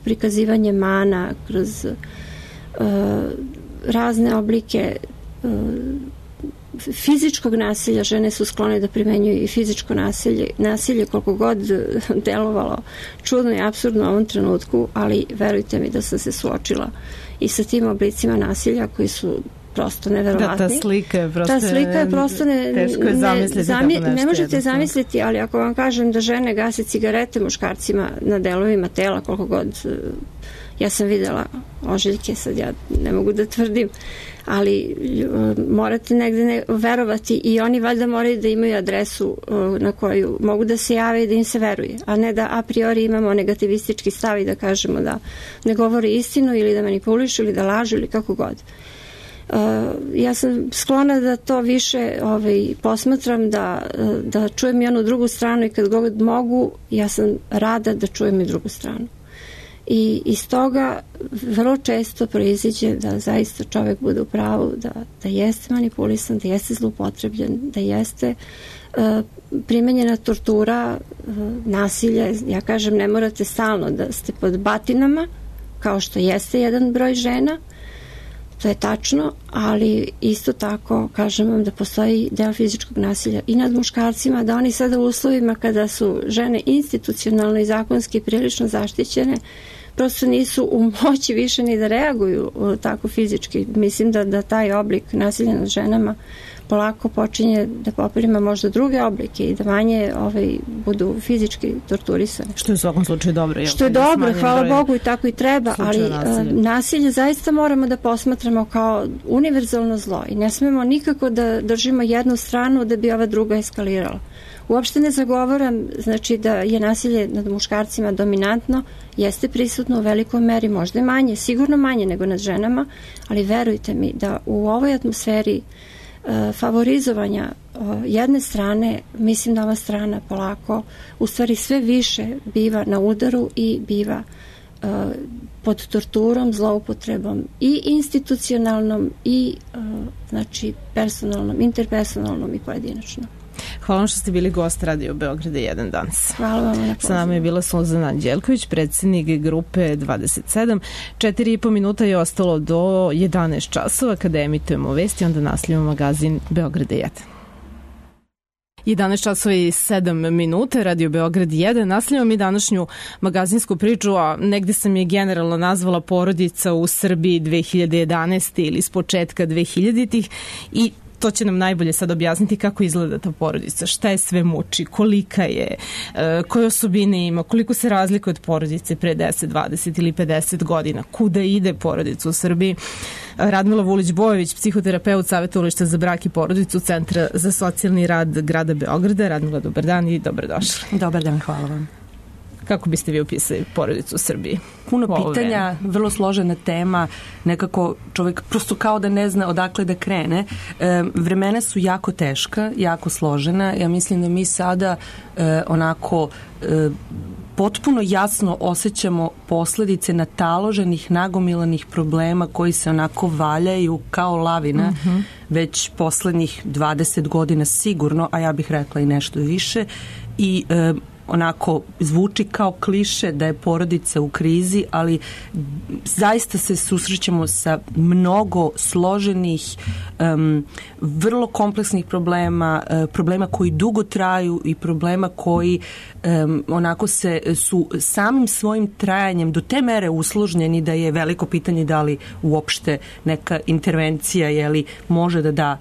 prikazivanje mana, kroz razne oblike fizičkog nasilja. Žene su sklone da primenjuju i fizičko nasilje, nasilje koliko god delovalo čudno i apsurdno u ovom trenutku, ali verujte mi da sam se suočila i sa tim oblicima nasilja koji su prosto neverovatni. Da, ta slika je prosto, ta slika je prosto ne, teško je zamisliti. Ne, zami, tako nešto ne možete jednostavno zamisliti, ali ako vam kažem da žene gase cigarete muškarcima na delovima tela, koliko god, ja sam videla ožiljke, sad ja ne mogu da tvrdim, ali morate negde ne, verovati i oni valjda moraju da imaju adresu na koju mogu da se jave i da im se veruje, a ne da a priori imamo negativistički stav i da kažemo da ne govori istinu ili da manipulišu ili da lažu ili kako god. Uh, ja sam sklona da to više ovaj, posmatram, da, da čujem i onu drugu stranu i kad god mogu, ja sam rada da čujem i drugu stranu. I iz toga vrlo često proiziđe da zaista čovjek bude u pravu, da, da jeste manipulisan, da jeste zloupotrebljen, da jeste uh, primenjena tortura, uh, nasilje. Ja kažem, ne morate stalno da ste pod batinama, kao što jeste jedan broj žena, to je tačno, ali isto tako kažem vam da postoji deo fizičkog nasilja i nad muškarcima, da oni sada u uslovima kada su žene institucionalno i zakonski prilično zaštićene, prosto nisu u moći više ni da reaguju tako fizički. Mislim da, da taj oblik nasilja nad ženama polako počinje da poprima možda druge oblike i da manje ovaj, budu fizički torturisane. Što je u svakom slučaju dobro. Što je dobro, hvala Bogu i tako i treba, ali nasilje. nasilje zaista moramo da posmatramo kao univerzalno zlo i ne smemo nikako da držimo jednu stranu da bi ova druga eskalirala. Uopšte ne zagovaram, znači da je nasilje nad muškarcima dominantno, jeste prisutno u velikoj meri, možda manje, sigurno manje nego nad ženama, ali verujte mi da u ovoj atmosferi favorizovanja jedne strane, mislim da ova strana polako u stvari sve više biva na udaru i biva uh, pod torturom, zloupotrebom i institucionalnom i uh, znači personalnom, interpersonalnom i pojedinačno. Hvala vam što ste bili gost Radio Beograda jedan danas. Hvala vam na pozivu. Sa nama je bila Suzana Anđelković, predsjednik grupe dvadeset sedam. Četiri i po minuta je ostalo do jedanaest časova kada emitujemo vesti, onda nastavljamo magazin Beograda jedan. jedanaest časova i sedam minuta, Radio Beograd jedan. Nastavljamo mi današnju magazinsku priču, a negde sam je generalno nazvala porodica u Srbiji dve hiljade jedanaeste ili s početka dve hiljaditih i to će nam najbolje sad objasniti kako izgleda ta porodica, šta je sve muči, kolika je, koje osobine ima, koliko se razlikuje od porodice pre deset, dvadeset ili pedeset godina, kuda ide porodica u Srbiji. Radmila Vulić-Bojović, psihoterapeut Savjetovališta za brak i porodicu Centra za socijalni rad grada Beograda. Radmila, dobar dan i dobrodošli. Dobar dan, hvala vam. Kako biste vi opisali porodicu u Srbiji? Puno pitanja, vrlo složena tema, nekako čovjek prosto kao da ne zna odakle da krene. E, vremena su jako teška, jako složena. Ja mislim da mi sada e, onako e, potpuno jasno osjećamo posledice nataloženih, nagomilanih problema koji se onako valjaju kao lavina uh-huh. već poslednjih dvadeset godina sigurno, a ja bih rekla i nešto više. I e, onako zvuči kao kliše da je porodica u krizi, ali zaista se susrećemo sa mnogo složenih, um, vrlo kompleksnih problema, uh, problema koji dugo traju i problema koji um, onako se su samim svojim trajanjem do te mere usložnjeni da je veliko pitanje da li uopšte neka intervencija je li može da da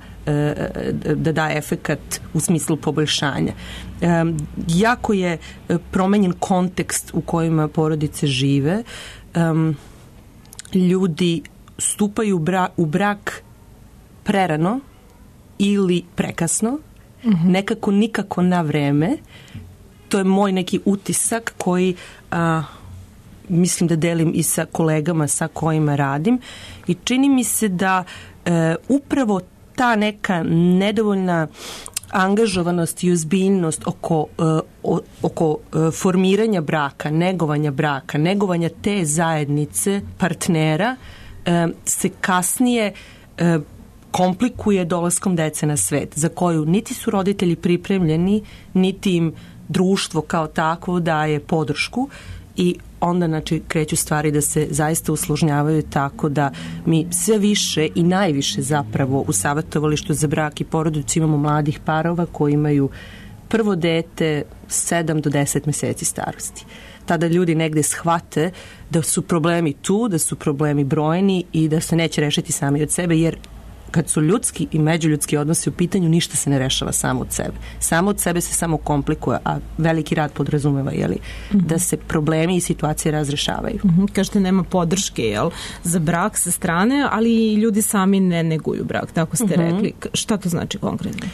da da efekat u smislu poboljšanja. Um, jako je promenjen kontekst u kojima porodice žive. Um, ljudi stupaju u brak, u brak prerano ili prekasno, mm-hmm. nekako nikako na vreme. To je moj neki utisak koji a, mislim da delim i sa kolegama sa kojima radim i čini mi se da e, upravo ta neka nedovoljna angažovanost i ozbiljnost oko, uh, oko uh, formiranja braka, negovanja braka, negovanja te zajednice partnera uh, se kasnije uh, komplikuje dolaskom dece na svet, za koju niti su roditelji pripremljeni, niti im društvo kao takvo daje podršku i onda znači, kreću stvari da se zaista usložnjavaju tako da mi sve više i najviše zapravo u savjetovalištu za brak i porodicu imamo mladih parova koji imaju prvo dete sedam do deset meseci starosti. Tada ljudi negde shvate da su problemi tu, da su problemi brojni i da se neće rešiti sami od sebe, jer kad su ljudski i međuljudski odnosi u pitanju, ništa se ne rešava samo od sebe. Samo od sebe se samo komplikuje, a veliki rad podrazumeva, jeli, mm-hmm. da se problemi i situacije razrešavaju. Mm-hmm. Kažete, nema podrške, jel, za brak sa strane, ali ljudi sami ne neguju brak, tako ste mm-hmm. rekli. Šta to znači konkretno?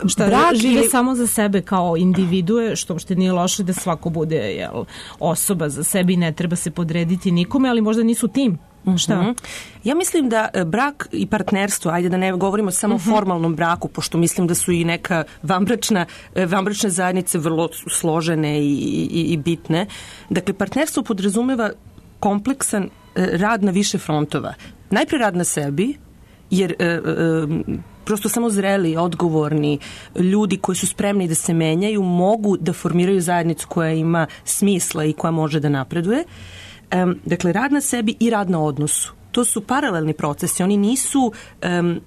Šta, brak žive ili... samo za sebe kao individue, što uopšte nije loše da svako bude, jel, osoba za sebe i ne treba se podrediti nikome, ali možda nisu tim. Šta? Mm-hmm. Ja mislim da brak i partnerstvo, ajde da ne govorimo samo mm-hmm. o formalnom braku, pošto mislim da su i neka vanbračna, vanbračne zajednice vrlo složene i, i, i bitne. Dakle, partnerstvo podrazumeva kompleksan rad na više frontova. Najpre rad na sebi, jer e, e, prosto samo zreli, odgovorni ljudi koji su spremni da se menjaju mogu da formiraju zajednicu koja ima smisla i koja može da napreduje. Um, dakle, rad na sebi i rad na odnosu. To su paralelni procesi. Oni nisu, um,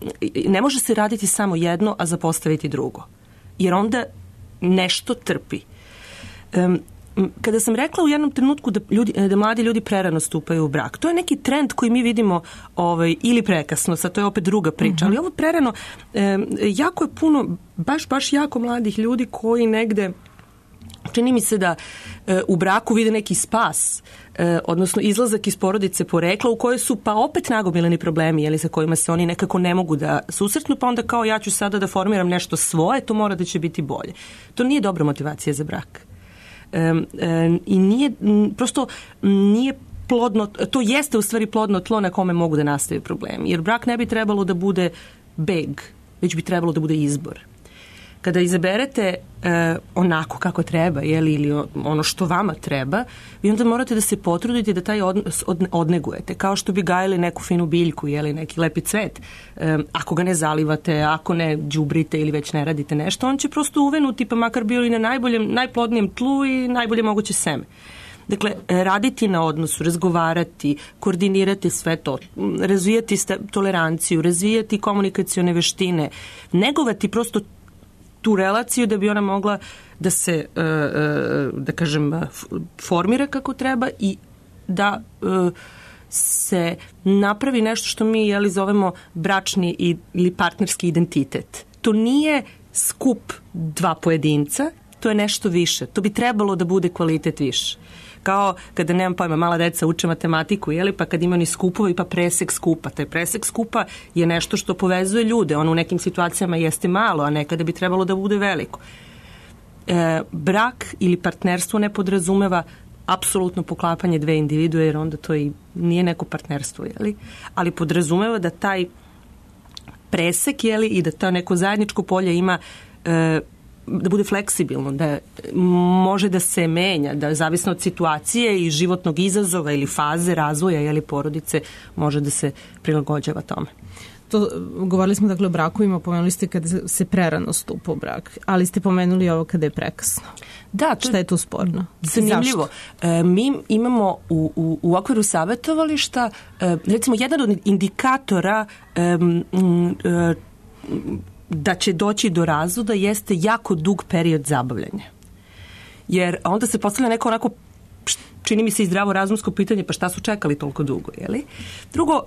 ne može se raditi samo jedno, a zapostaviti drugo. Jer onda nešto trpi. Um, kada sam rekla u jednom trenutku da, ljudi, da mladi ljudi prerano stupaju u brak, to je neki trend koji mi vidimo ovaj, ili prekasno, sad to je opet druga priča, uh-huh. ali ovo prerano, um, jako je puno, baš, baš jako mladih ljudi koji negde čini mi se da e, u braku vide neki spas, e, odnosno izlazak iz porodice porekla u kojoj su pa opet nagomileni problemi, jeli, sa kojima se oni nekako ne mogu da susretnu, pa onda kao ja ću sada da formiram nešto svoje, to mora da će biti bolje. To nije dobra motivacija za brak. E, e, I nije, prosto nije plodno, to jeste u stvari plodno tlo na kome mogu da nastaju problemi, jer brak ne bi trebalo da bude beg, već bi trebalo da bude izbor. Kada izaberete e, onako kako treba, jeli, ili ono što vama treba, vi onda morate da se potrudite da taj odnos od, odnegujete. Kao što bi gajili neku finu biljku, jeli, neki lepi cvet. E, ako ga ne zalivate, ako ne đubrite ili već ne radite nešto, on će prosto uvenuti, pa makar bio i na najboljem, najplodnijem tlu i najbolje moguće seme. Dakle, raditi na odnosu, razgovarati, koordinirati sve to, razvijati toleranciju, razvijati komunikacione veštine, negovati prosto tu relaciju da bi ona mogla da se, da kažem, formira kako treba i da se napravi nešto što mi, jeli, zovemo bračni ili partnerski identitet. To nije skup dva pojedinca, to je nešto više. To bi trebalo da bude kvalitet više. Kao kada, nemam pojma, mala deca uče matematiku, jeli, pa kad ima ni skupovi, pa presek skupa. Taj presek skupa je nešto što povezuje ljude. On u nekim situacijama jeste malo, a nekada bi trebalo da bude veliko. E, brak ili partnerstvo ne podrazumeva apsolutno poklapanje dve individue, jer onda to i nije neko partnerstvo, jeli? Ali podrazumeva da taj presek, jeli, i da to neko zajedničko polje ima e, da bude fleksibilno, da može da se menja, da zavisno od situacije i životnog izazova ili faze razvoja ili porodice može da se prilagođava tome. To, govorili smo dakle o brakovima, pomenuli ste kada se prerano stupa u brak, ali ste pomenuli ovo kada je prekasno. Da, to šta je tu sporno? Zanimljivo. E, mi imamo u, u, u okviru savjetovališta e, recimo jedan od indikatora e, m, e, da će doći do razvoda jeste jako dug period zabavljanja. Jer onda se postavlja neko onako, čini mi se i zdravo razumsko pitanje, pa šta su čekali toliko dugo, jeli? Drugo,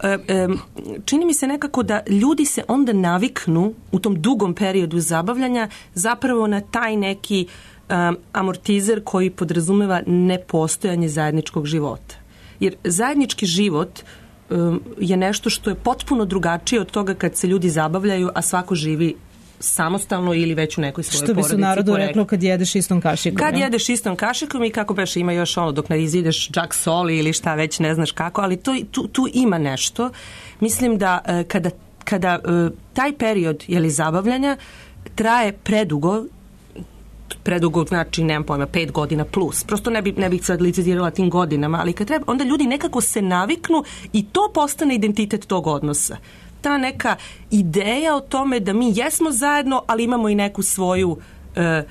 čini mi se nekako da ljudi se onda naviknu u tom dugom periodu zabavljanja zapravo na taj neki um, amortizer koji podrazumeva nepostojanje zajedničkog života. Jer zajednički život je nešto što je potpuno drugačije od toga kad se ljudi zabavljaju, a svako živi samostalno ili već u nekoj svojoj porodici. Što bi se u narodu reklo kad jedeš istom kašikom. Kad ja? jedeš istom kašikom i kako beš ima još ono dok ne izideš džak soli ili šta već ne znaš kako, ali to, tu, tu ima nešto. Mislim da kada, kada taj period jeli, zabavljanja traje predugo, predugo znači, nemam pojma, pet godina plus. Prosto ne, bi, ne bih sad licitirala tim godinama, ali kad treba, onda ljudi nekako se naviknu i to postane identitet tog odnosa. Ta neka ideja o tome da mi jesmo zajedno, ali imamo i neku svoju, e, e,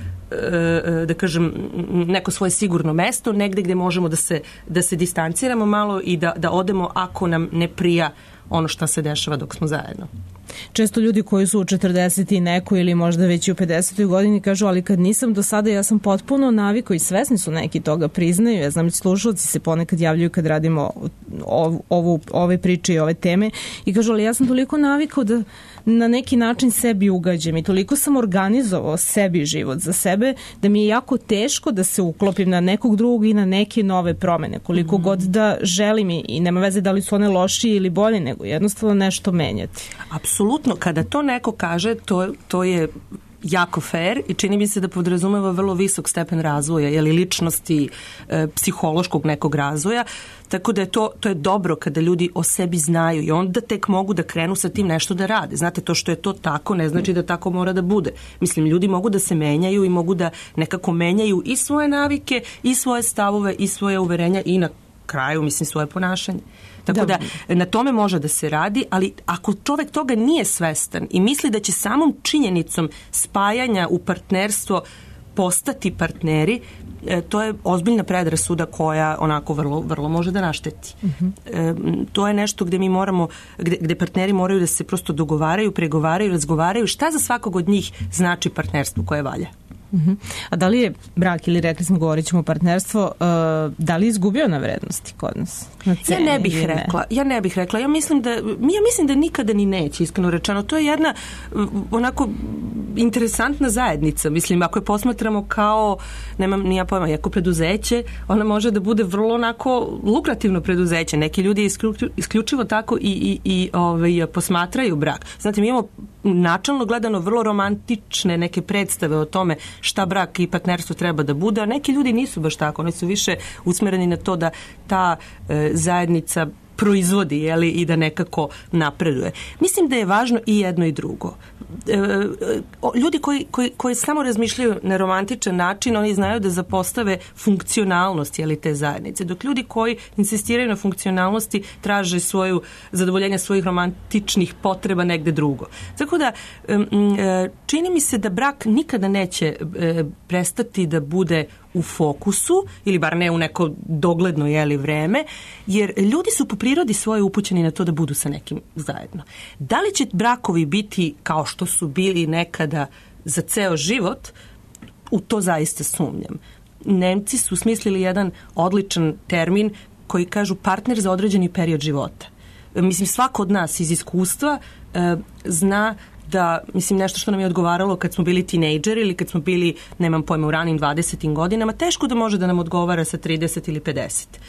da kažem, neko svoje sigurno mesto, negde gde možemo da se, da se distanciramo malo i da, da odemo ako nam ne prija ono što se dešava dok smo zajedno. Često ljudi koji su u četrdeset i neko ili možda već i u pedesetoj godini kažu, ali kad nisam do sada, ja sam potpuno naviko i svesni su neki toga priznaju. Ja znam, slušalci se ponekad javljaju kad radimo ovu, ovu, ove priče i ove teme i kažu, ali ja sam toliko navikao da na neki način sebi ugađam i toliko sam organizovao sebi život za sebe da mi je jako teško da se uklopim na nekog drugog i na neke nove promene, koliko mm. god da želim i nema veze da li su one lošije ili bolje, nego jednostavno nešto menjati. Apsolutno, kada to neko kaže, to, to je jako fair i čini mi se da podrazumeva vrlo visok stepen razvoja, jeli ličnosti, e, psihološkog nekog razvoja, tako da je to, to je dobro kada ljudi o sebi znaju i onda tek mogu da krenu sa tim nešto da rade. Znate, to što je to tako ne znači da tako mora da bude. Mislim, ljudi mogu da se menjaju i mogu da nekako menjaju i svoje navike, i svoje stavove, i svoje uverenja i na kraju, mislim, svoje ponašanje. Tako da. da na tome može da se radi, ali ako čovek toga nije svestan i misli da će samom činjenicom spajanja u partnerstvo postati partneri, to je ozbiljna predrasuda koja onako vrlo, vrlo može da našteti. Uh-huh. E, to je nešto gde mi moramo, gde, gde partneri moraju da se prosto dogovaraju, pregovaraju, razgovaraju šta za svakog od njih znači partnerstvo koje valja. Uh-huh. A da li je brak, ili rekli smo, govorit ćemo partnerstvo, uh, da li je izgubio na vrednosti kod nas? Na ceni, ja ne bih rekla. Ne? Ja ne bih rekla. Ja mislim da, ja mislim da nikada ni neće, iskreno rečeno. To je jedna onako interesantna zajednica. Mislim, ako je posmatramo kao, nemam nija pojma, jako preduzeće, ona može da bude vrlo onako lukrativno preduzeće. Neki ljudi isključivo tako i, i, i ovaj, posmatraju brak. Znate, mi imamo načalno gledano vrlo romantične neke predstave o tome šta brak i partnerstvo treba da bude, a neki ljudi nisu baš tako, oni su više usmereni na to da ta e, zajednica proizvodi, jeli, i da nekako napreduje. Mislim da je važno i jedno i drugo. E, ljudi koji, koji, koji samo razmišljaju na romantičan način, oni znaju da zapostave funkcionalnost, jeli, te zajednice. Dok ljudi koji insistiraju na funkcionalnosti traže svoju zadovoljenje svojih romantičnih potreba negde drugo. Tako da e, čini mi se da brak nikada neće e, prestati da bude u fokusu, ili bar ne u neko dogledno, jeli, vreme, jer ljudi su po prirodi svoje upućeni na to da budu sa nekim zajedno. Da li će brakovi biti kao što su bili nekada za ceo život, u to zaista sumnjam. Nemci su smislili jedan odličan termin koji kažu partner za određeni period života. Mislim, svako od nas iz iskustva e, zna da, mislim, nešto što nam je odgovaralo kad smo bili tinejdžeri ili kad smo bili, nemam pojma, u ranim dvadesetim godinama, teško da može da nam odgovara sa trideset ili pedeset.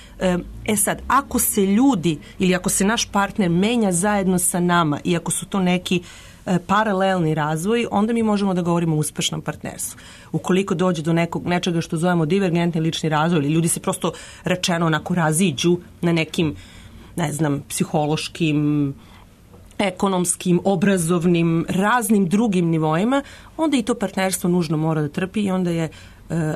E sad, ako se ljudi ili ako se naš partner menja zajedno sa nama i ako su to neki e, paralelni razvoj, onda mi možemo da govorimo o uspešnom partnerstvu. Ukoliko dođe do nekog, nečega što zovemo divergentni lični razvoj ili ljudi se prosto rečeno onako raziđu na nekim, ne znam, psihološkim, ekonomskim, obrazovnim, raznim drugim nivoima, onda i to partnerstvo nužno mora da trpi i onda je e,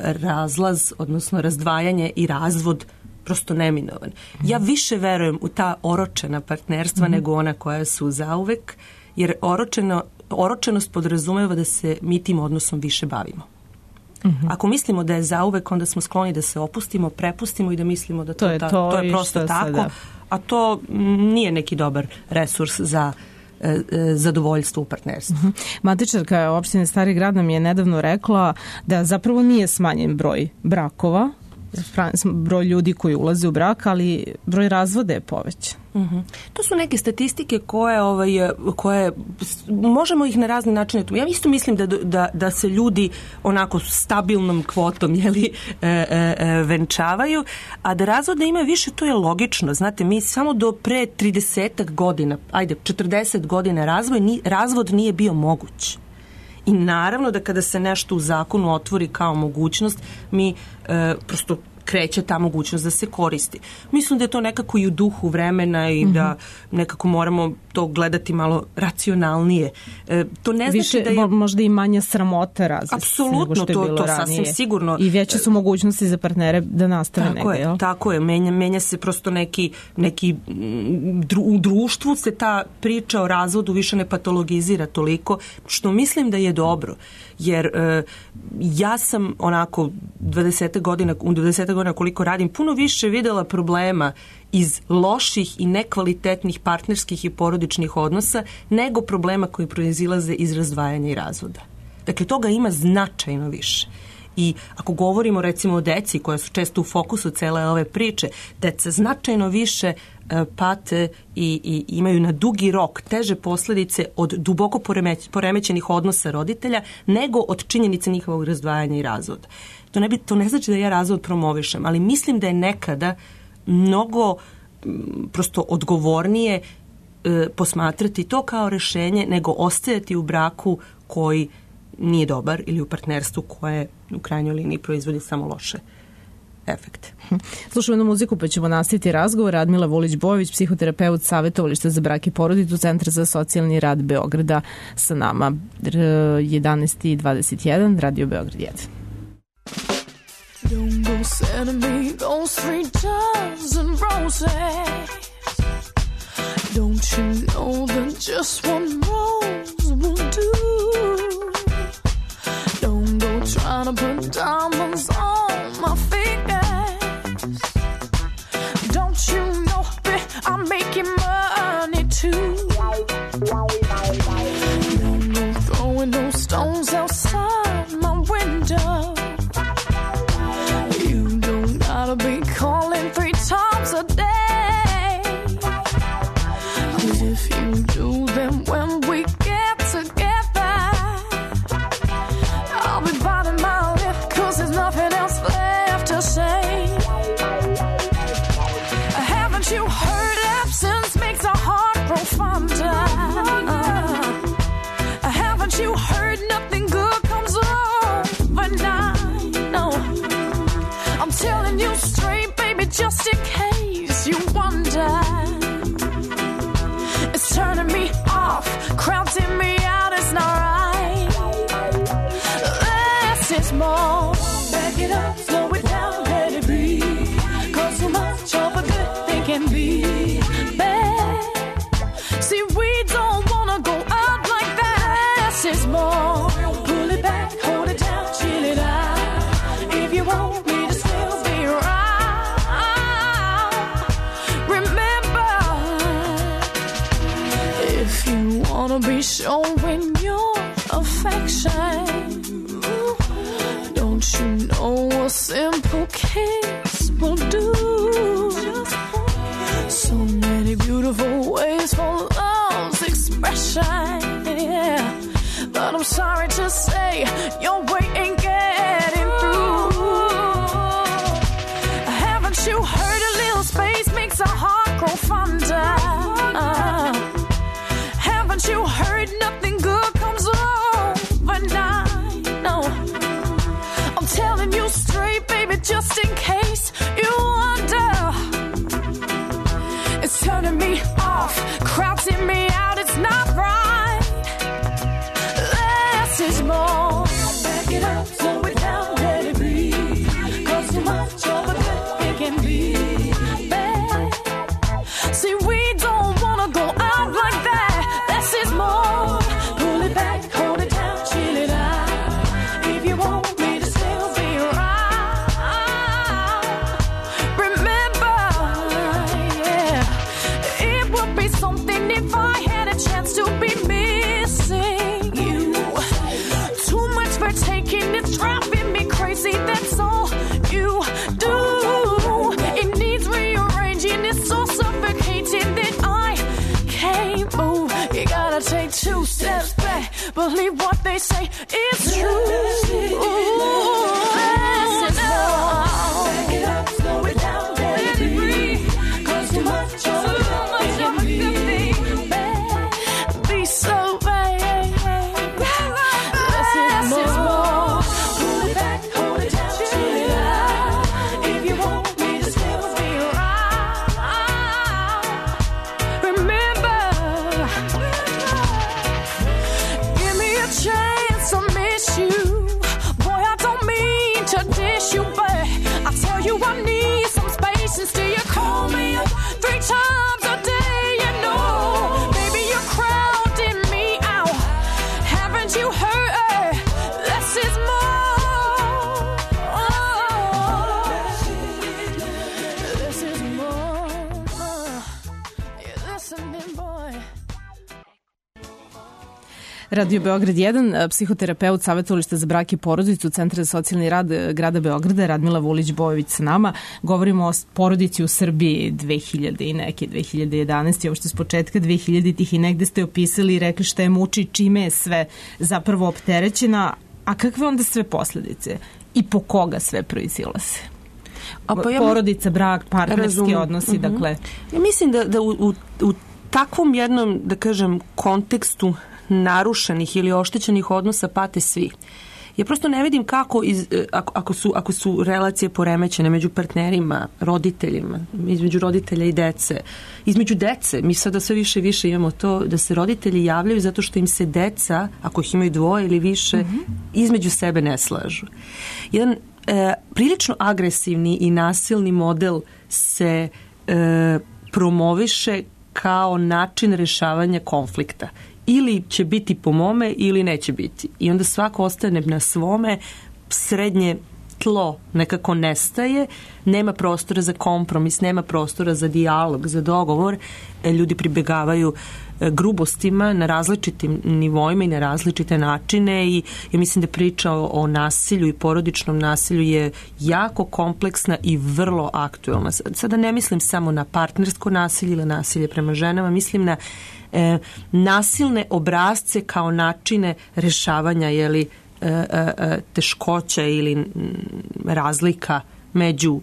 razlaz, odnosno razdvajanje i razvod prosto neminovan. Ja više verujem u ta oročena partnerstva mm-hmm. nego ona koja su zauvek, jer oročeno, oročenost podrazumeva da se mi tim odnosom više bavimo. Mm-hmm. Ako mislimo da je zauvek, onda smo skloni da se opustimo, prepustimo i da mislimo da to, to, je, ta, to, to je prosto tako, sada. A to nije neki dobar resurs za e, e, zadovoljstvo u partnerstvu. Uh-huh. Matičarka opštine Stari Grad nam je nedavno rekla da zapravo nije smanjen broj brakova, broj ljudi koji ulaze u brak, ali broj razvoda je povećan. Uh-huh. To su neke statistike koje, ovaj, koje možemo ih na razne načine. Ja isto mislim da, da, da se ljudi onako stabilnom kvotom jeli, e, e, venčavaju, a da razvoda ima više, to je logično. Znate, mi samo do pre tridesetak godina, ajde, četrdeset godina razvoj, ni, razvod nije bio moguć. I naravno da kada se nešto u zakonu otvori kao mogućnost, mi e, prosto kreće ta mogućnost da se koristi. Mislim da je to nekako i u duhu vremena i mm-hmm. da nekako moramo to gledati malo racionalnije. E, to ne Više, znači da je... možda i manja sramota razvesti Apsolutno, nego što je to, bilo to ranije. sasvim sigurno. I veće su mogućnosti za partnere da nastave tako negde. Je, tako je, menja, menja se prosto neki, neki dru, u društvu se ta priča o razvodu više ne patologizira toliko, što mislim da je dobro. Jer e, ja sam onako dvadeset godina, u dvadeset godina koliko radim, puno više videla problema iz loših i nekvalitetnih partnerskih i porodičnih odnosa nego problema koji proizilaze iz razdvajanja i razvoda. Dakle, toga ima značajno više. I ako govorimo recimo o deci koja su često u fokusu cele ove priče, deca značajno više e, pate i, i imaju na dugi rok teže posljedice od duboko poremeć, poremećenih odnosa roditelja nego od činjenice njihovog razdvajanja i razvoda. To ne, bi, to ne znači da ja razvod promovišem, ali mislim da je nekada mnogo m, prosto odgovornije e, posmatrati to kao rešenje nego ostajati u braku koji nije dobar ili u partnerstvu koje u krajnjoj liniji proizvodi samo loše efekte. Slušamo jednu muziku pa ćemo nastaviti razgovor. Radmila Vulić-Bojović, psihoterapeut Savjetovališta za brak i porodicu, Centra za socijalni rad Beograda sa nama. jedanaest i dvadeset jedan, Radio Beograd jedan. Don't go sending me those three dozen roses. Don't you know that just one rose will do? Don't go trying to put diamonds on my fingers. Don't you know that I'm making money too? Don't go throwing those stones outside my window. You don't gotta be calling three times a day. 'Cause if you do, then when we get together, I'll be biting my lip 'cause there's nothing else left to say. Haven't you heard absence makes a heart grow fonder? Haven't you heard nothing good comes overnight? No, I'm telling you straight, baby, just in case you wonder. It's turning me off, crowding me out, it's not right. Less is more. Back it up, slow it down, let it breathe. 'Cause so much of a good thing can be bad. See, we don't wanna go out like that. Less is more. Pull it back, hold it down, chill it out. If you want me to still be right, remember, if you wanna be showing your affection, don't you know a simple kiss will do? So many beautiful ways for love's expression, yeah. But I'm sorry to say your way ain't getting through. Haven't you heard a little space makes a heart grow fonder? Haven't you heard nothing good comes overnight? No, I'm telling you straight, baby, just in case you wonder. It's turning me off, crowding me out, it's not right. Less is more. Back it up, slow it down, let it breathe. 'Cause so much of a good thing can be bad. See, we don't wanna go out like that. Less is more. Pull it back, hold it down, chill it out. If you want me to still be right, remember, yeah, it would be something if I had a chance to be missing you. To believe what they say is true. Back it up, slow it down, let it breathe. Cause too much of it can be bad. Be so bad. Less is more. Pull it back, hold it down, chill it out. If you want me to stay with me right. Remember, give me a chance to miss you. Boy, I don't mean to dish you, but I tell you I need some space. And still you call me up three times a day, you know. Baby, you're crowding me out. Haven't you heard? Less is more. Less is more. You're listening, boy. Radio Beograd jedan, psihoterapeut savjetovališta za brak i porodicu Centra za socijalni rad grada Beograda, Radmila Vulić-Bojović sa nama. Govorimo o porodici u Srbiji dve hiljade i neke, dve hiljade jedanaeste. Ovo što s početka dve hiljaditih i negde ste opisali i rekli šta je muči, čime je sve zapravo opterećena, a kakve onda sve posledice i po koga sve proizilaze? A pa ja, porodica, brak, partnerski razumem. odnosi, uh-huh. dakle. Ja mislim da, da u, u, u takvom jednom, da kažem, kontekstu narušenih ili oštećenih odnosa pate svi. Ja prosto ne vidim kako, iz, ako, ako, su, ako su relacije poremećene među partnerima, roditeljima, između roditelja i dece, između dece, mi sada sve više i više imamo to da se roditelji javljaju zato što im se deca, ako ih imaju dvoje ili više, mm-hmm. između sebe ne slažu. Jedan e, prilično agresivni i nasilni model se e, promoviše kao način rešavanja konflikta. Ili će biti po mome ili neće biti. I onda svako ostane na svome, srednje tlo nekako nestaje, nema prostora za kompromis, nema prostora za dijalog, za dogovor. Ljudi pribegavaju grubostima na različitim nivoima i na različite načine i ja mislim da priča o, o nasilju i porodičnom nasilju je jako kompleksna i vrlo aktuelna. Sada ne mislim samo na partnersko nasilje ili nasilje prema ženama, mislim na e, nasilne obrazce kao načine rešavanja jeli, e, e, teškoća ili m, razlika među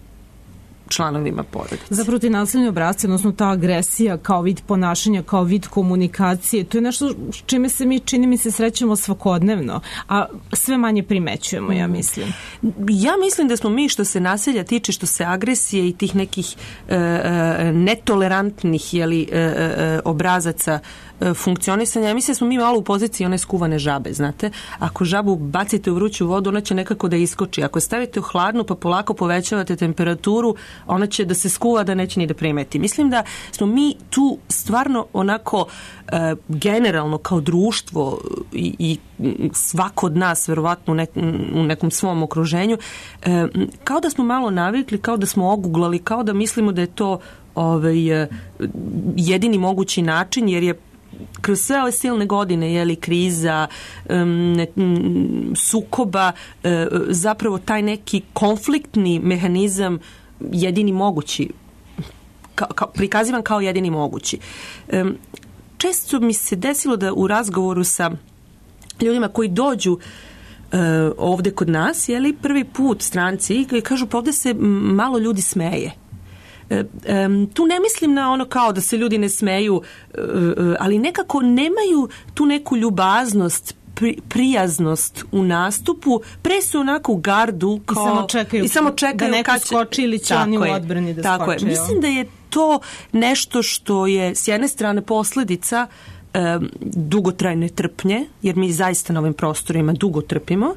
članovima porodice. Zapravo ti nasilni obrazci, odnosno ta agresija kao vid ponašanja, kao vid komunikacije, to je nešto s čime se mi, čini mi se, srećemo svakodnevno, a sve manje primećujemo, ja mislim. Ja mislim da smo mi, što se nasilja tiče, što se agresije i tih nekih e, e, netolerantnih jeli, e, e, obrazaca e, funkcionisanja, ja mislim da smo mi malo u poziciji one skuvane žabe, znate. Ako žabu bacite u vruću vodu, ona će nekako da iskoči. Ako stavite u hladnu pa polako povećavate temperaturu, ona će da se skuva da neće ni da primeti. Mislim da smo mi tu stvarno onako e, generalno kao društvo i, i svako od nas verovatno u, nek, u nekom svom okruženju e, kao da smo malo navikli, kao da smo oguglali, kao da mislimo da je to ovaj, jedini mogući način, jer je kroz sve ove silne godine, jeli, kriza, um, sukoba, uh, zapravo taj neki konfliktni mehanizam jedini mogući, ka, ka, prikazivan kao jedini mogući. Um, često mi se desilo da u razgovoru sa ljudima koji dođu uh, ovde kod nas, jeli, prvi put stranci, koji kažu pa ovde se malo ljudi smeje. Um, tu ne mislim na ono kao da se ljudi ne smeju, uh, ali nekako nemaju tu neku ljubaznost, pri, prijaznost u nastupu, pre su onako u gardu kao, i samo čekaju, i samo čekaju da neko kad skoči ili će oni u odbrani da tako skoče. Je. Mislim da je to nešto što je s jedne strane posledica um, dugotrajne trpnje, jer mi zaista na ovim prostorima dugo trpimo,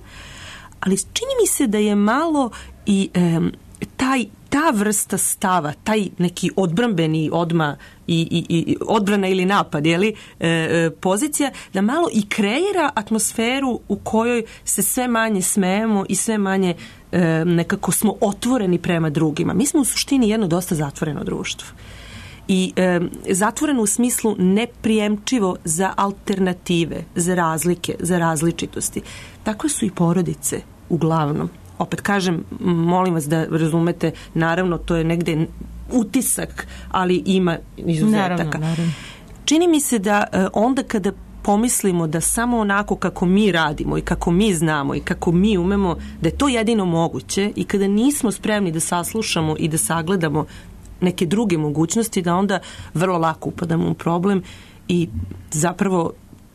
ali čini mi se da je malo i um, taj ta vrsta stava, taj neki odbrambeni odma i, i, i odbrana ili napad, jeli, e, e, pozicija, da malo i kreira atmosferu u kojoj se sve manje smejemo i sve manje e, nekako smo otvoreni prema drugima. Mi smo u suštini jedno dosta zatvoreno društvo. I e, zatvoreno u smislu neprijemčivo za alternative, za razlike, za različitosti. Tako su i porodice uglavnom. Opet kažem, molim vas da razumete, naravno to je negde utisak, ali ima izuzetaka. Naravno, naravno. Čini mi se da onda kada pomislimo da samo onako kako mi radimo i kako mi znamo i kako mi umemo, da je to jedino moguće, i kada nismo spremni da saslušamo i da sagledamo neke druge mogućnosti, da onda vrlo lako upadamo u problem, i zapravo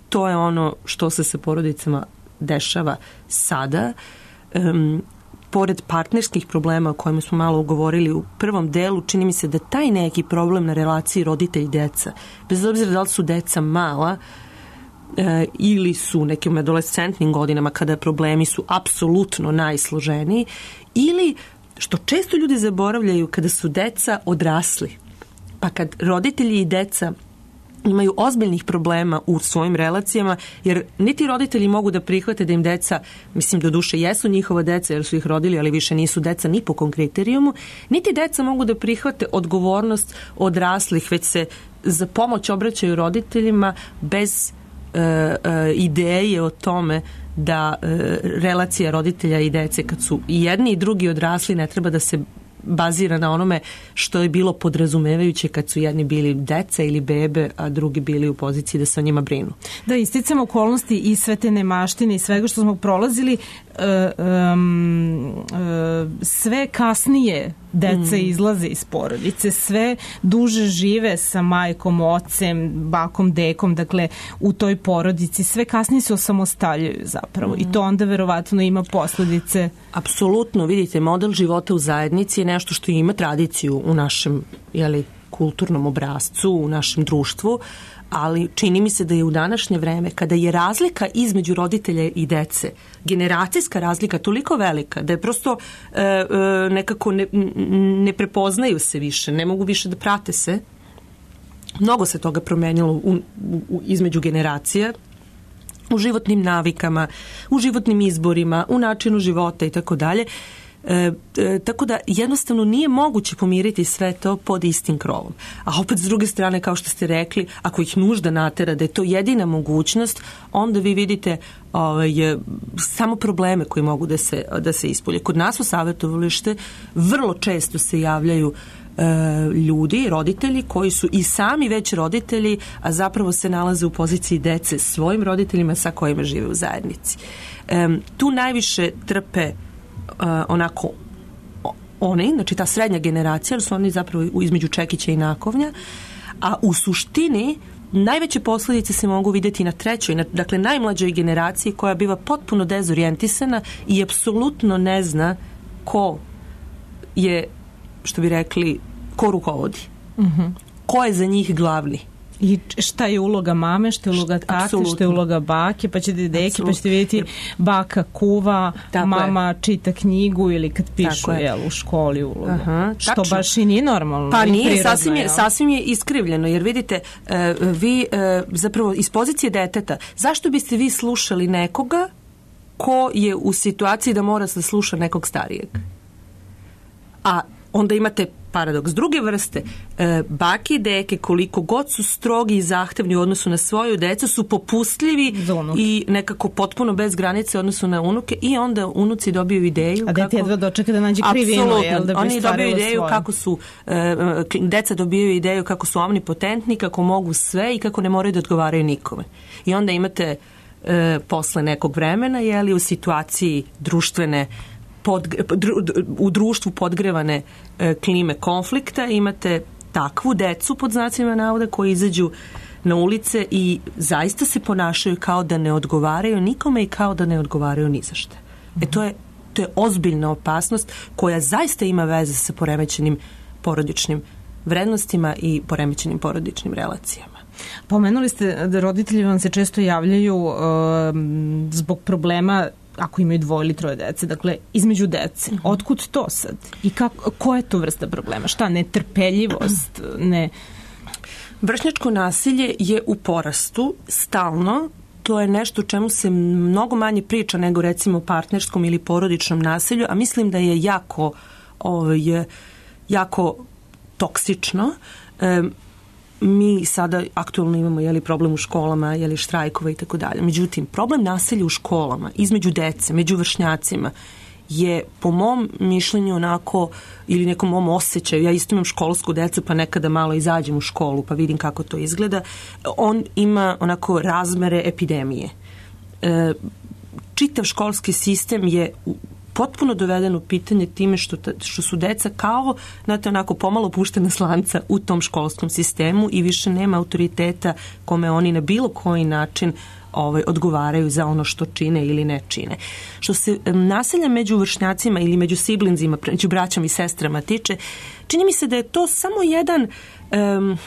to je ono što se sa porodicama dešava sada. Um, pored partnerskih problema o kojima smo malo ugovorili u prvom delu, čini mi se da taj neki problem na relaciji roditelj-deca, bez obzira da li su deca mala e, ili su u nekim adolescentnim godinama kada problemi su apsolutno najsloženiji, ili što često ljudi zaboravljaju, kada su deca odrasli. Pa kad roditelji i deca imaju ozbiljnih problema u svojim relacijama, jer niti roditelji mogu da prihvate da im deca, mislim do duše jesu njihova deca jer su ih rodili, ali više nisu deca ni po kom kriterijumu, niti deca mogu da prihvate odgovornost odraslih, već se za pomoć obraćaju roditeljima bez e, e, ideje o tome da e, relacija roditelja i dece, kad su i jedni i drugi odrasli, ne treba da se bazira na onome što je bilo podrazumevajuće kad su jedni bili deca ili bebe, a drugi bili u poziciji da se o njima brinu. Da, isticam okolnosti i sve te nemaštine i svega što smo prolazili, uh, um, uh, sve kasnije deca mm. izlaze iz porodice, sve duže žive sa majkom, ocem, bakom, dekom, dakle u toj porodici, sve kasnije se osamostaljuju zapravo mm. i to onda verovatno ima posledice. Apsolutno, vidite, model života u zajednici je nešto što ima tradiciju u našem, jeli, kulturnom obrascu, u našem društvu, ali čini mi se da je u današnje vreme, kada je razlika između roditelja i dece, generacijska razlika toliko velika da je prosto e, e, nekako ne, ne prepoznaju se više, ne mogu više da prate se. Mnogo se toga promenilo u, u, između generacija, u životnim navikama, u životnim izborima, u načinu života i tako dalje. E, e, tako da jednostavno nije moguće pomiriti sve to pod istim krovom. A opet s druge strane, kao što ste rekli, ako ih nužda natera da je to jedina mogućnost, onda vi vidite ovaj, samo probleme koji mogu da se, da se ispolje. Kod nas u savjetovalište vrlo često se javljaju e, ljudi, roditelji koji su i sami već roditelji, a zapravo se nalaze u poziciji dece svojim roditeljima sa kojima žive u zajednici. E, tu najviše trpe Uh, onako oni, znači ta srednja generacija, jer su oni zapravo između čekića i nakovnja, a u suštini najveće posljedice se mogu vidjeti na trećoj, na, dakle najmlađoj generaciji, koja biva potpuno dezorijentisana i apsolutno ne zna ko je, što bi rekli, ko rukovodi. Mm-hmm. Ko je za njih glavni. I šta je uloga mame, šta je uloga tate, Absolutno. Šta je uloga bake, pa ćete deke, pa ćete vidjeti baka kuva, Tako mama je. čita knjigu ili kad pišu jel, u školi uloga. Aha, što tačno. Baš i nije normalno. Pa nije, prirodno, sasvim, je, sasvim je iskrivljeno, jer vidite, uh, vi uh, zapravo iz pozicije deteta, zašto biste vi slušali nekoga ko je u situaciji da mora da sluša nekog starijeg? A onda imate paradoks druge vrste, e, bake i deke, koliko god su strogi i zahtevni u odnosu na svoju decu, su popustljivi i nekako potpuno bez granice u odnosu na unuke, i onda unuci dobiju ideju. A dete jedva dočeka da nađe krivinu, jel, da bi oni dobiju ideju svoje. Kako su, e, deca dobiju ideju kako su omnipotentni, kako mogu sve i kako ne moraju da odgovaraju nikome. I onda imate e, posle nekog vremena, jeli, u situaciji društvene Pod, u društvu podgrevane e, klime konflikta imate takvu decu, pod znacima navoda, koji izađu na ulice i zaista se ponašaju kao da ne odgovaraju nikome i kao da ne odgovaraju ni za šta. E to je, to je ozbiljna opasnost koja zaista ima veze sa poremećenim porodičnim vrednostima i poremećenim porodičnim relacijama. Pomenuli ste da roditelji vam se često javljaju uh, zbog problema ako imaju dvoje ili troje dece, dakle, između dece. Uh-huh. Otkud to sad? I kako, koja je to vrsta problema? Šta? Netrpeljivost? Ne... Vršnjačko nasilje je u porastu stalno. To je nešto o čemu se mnogo manje priča nego recimo o partnerskom ili porodičnom nasilju, a mislim da je jako, ovaj, jako toksično. E, mi sada aktualno imamo jeli, problem u školama, jeli, štrajkova i tako dalje. Međutim, problem nasilja u školama, između dece, među vršnjacima, je po mom mišljenju onako, ili nekom mom osjećaju, ja isto imam školsku decu pa nekada malo izađem u školu pa vidim kako to izgleda, on ima onako razmere epidemije. E, čitav školski sistem je potpuno doveden u pitanje time što, što su deca kao, znate, onako pomalo puštena slanca u tom školskom sistemu i više nema autoriteta kome oni na bilo koji način ovaj, odgovaraju za ono što čine ili ne čine. Što se um, nasilja među vršnjacima ili među siblingzima, među braćom i sestrama tiče, čini mi se da je to samo jedan... Um,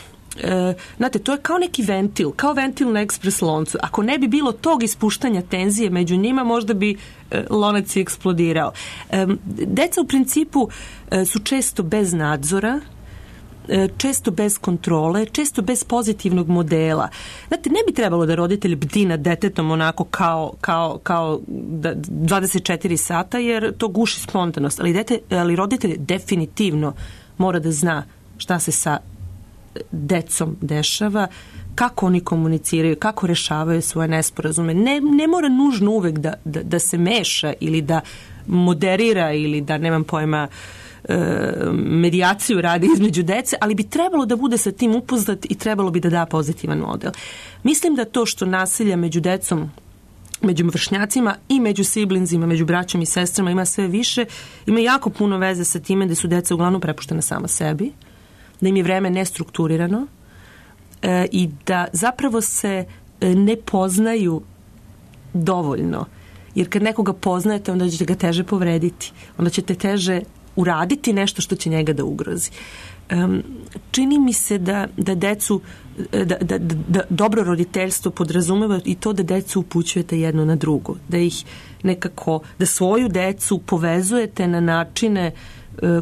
E, znate, to je kao neki ventil, kao ventil na ekspres loncu. Ako ne bi bilo tog ispuštanja tenzije među njima, možda bi e, lonac i eksplodirao. E, deca u principu e, su često bez nadzora, e, često bez kontrole, često bez pozitivnog modela. Znate, ne bi trebalo da roditelj bdi nad detetom onako kao, kao, kao da, dvadeset četiri sata, jer to guši spontanost. Ali, dete, ali roditelj definitivno mora da zna šta se sa decom dešava, kako oni komuniciraju, kako rešavaju svoje nesporazume. Ne, ne mora nužno uvek da, da, da se meša ili da moderira ili da, nemam pojma, e, medijaciju radi između dece, ali bi trebalo da bude sa tim upoznat i trebalo bi da da pozitivan model. Mislim da to što nasilja među decom, među vršnjacima i među siblingzima, među braćom i sestrama ima sve više, ima jako puno veze sa time da su deca uglavnom prepuštena sama sebi, da im je vreme nestrukturirano e, i da zapravo se e, ne poznaju dovoljno. Jer kad nekoga poznajete, onda ćete ga teže povrediti. Onda ćete teže uraditi nešto što će njega da ugrozi. E, čini mi se da, da decu, da, da, da, da dobro roditeljstvo podrazumeva i to da decu upućujete jedno na drugo. Da ih nekako, da svoju decu povezujete na načine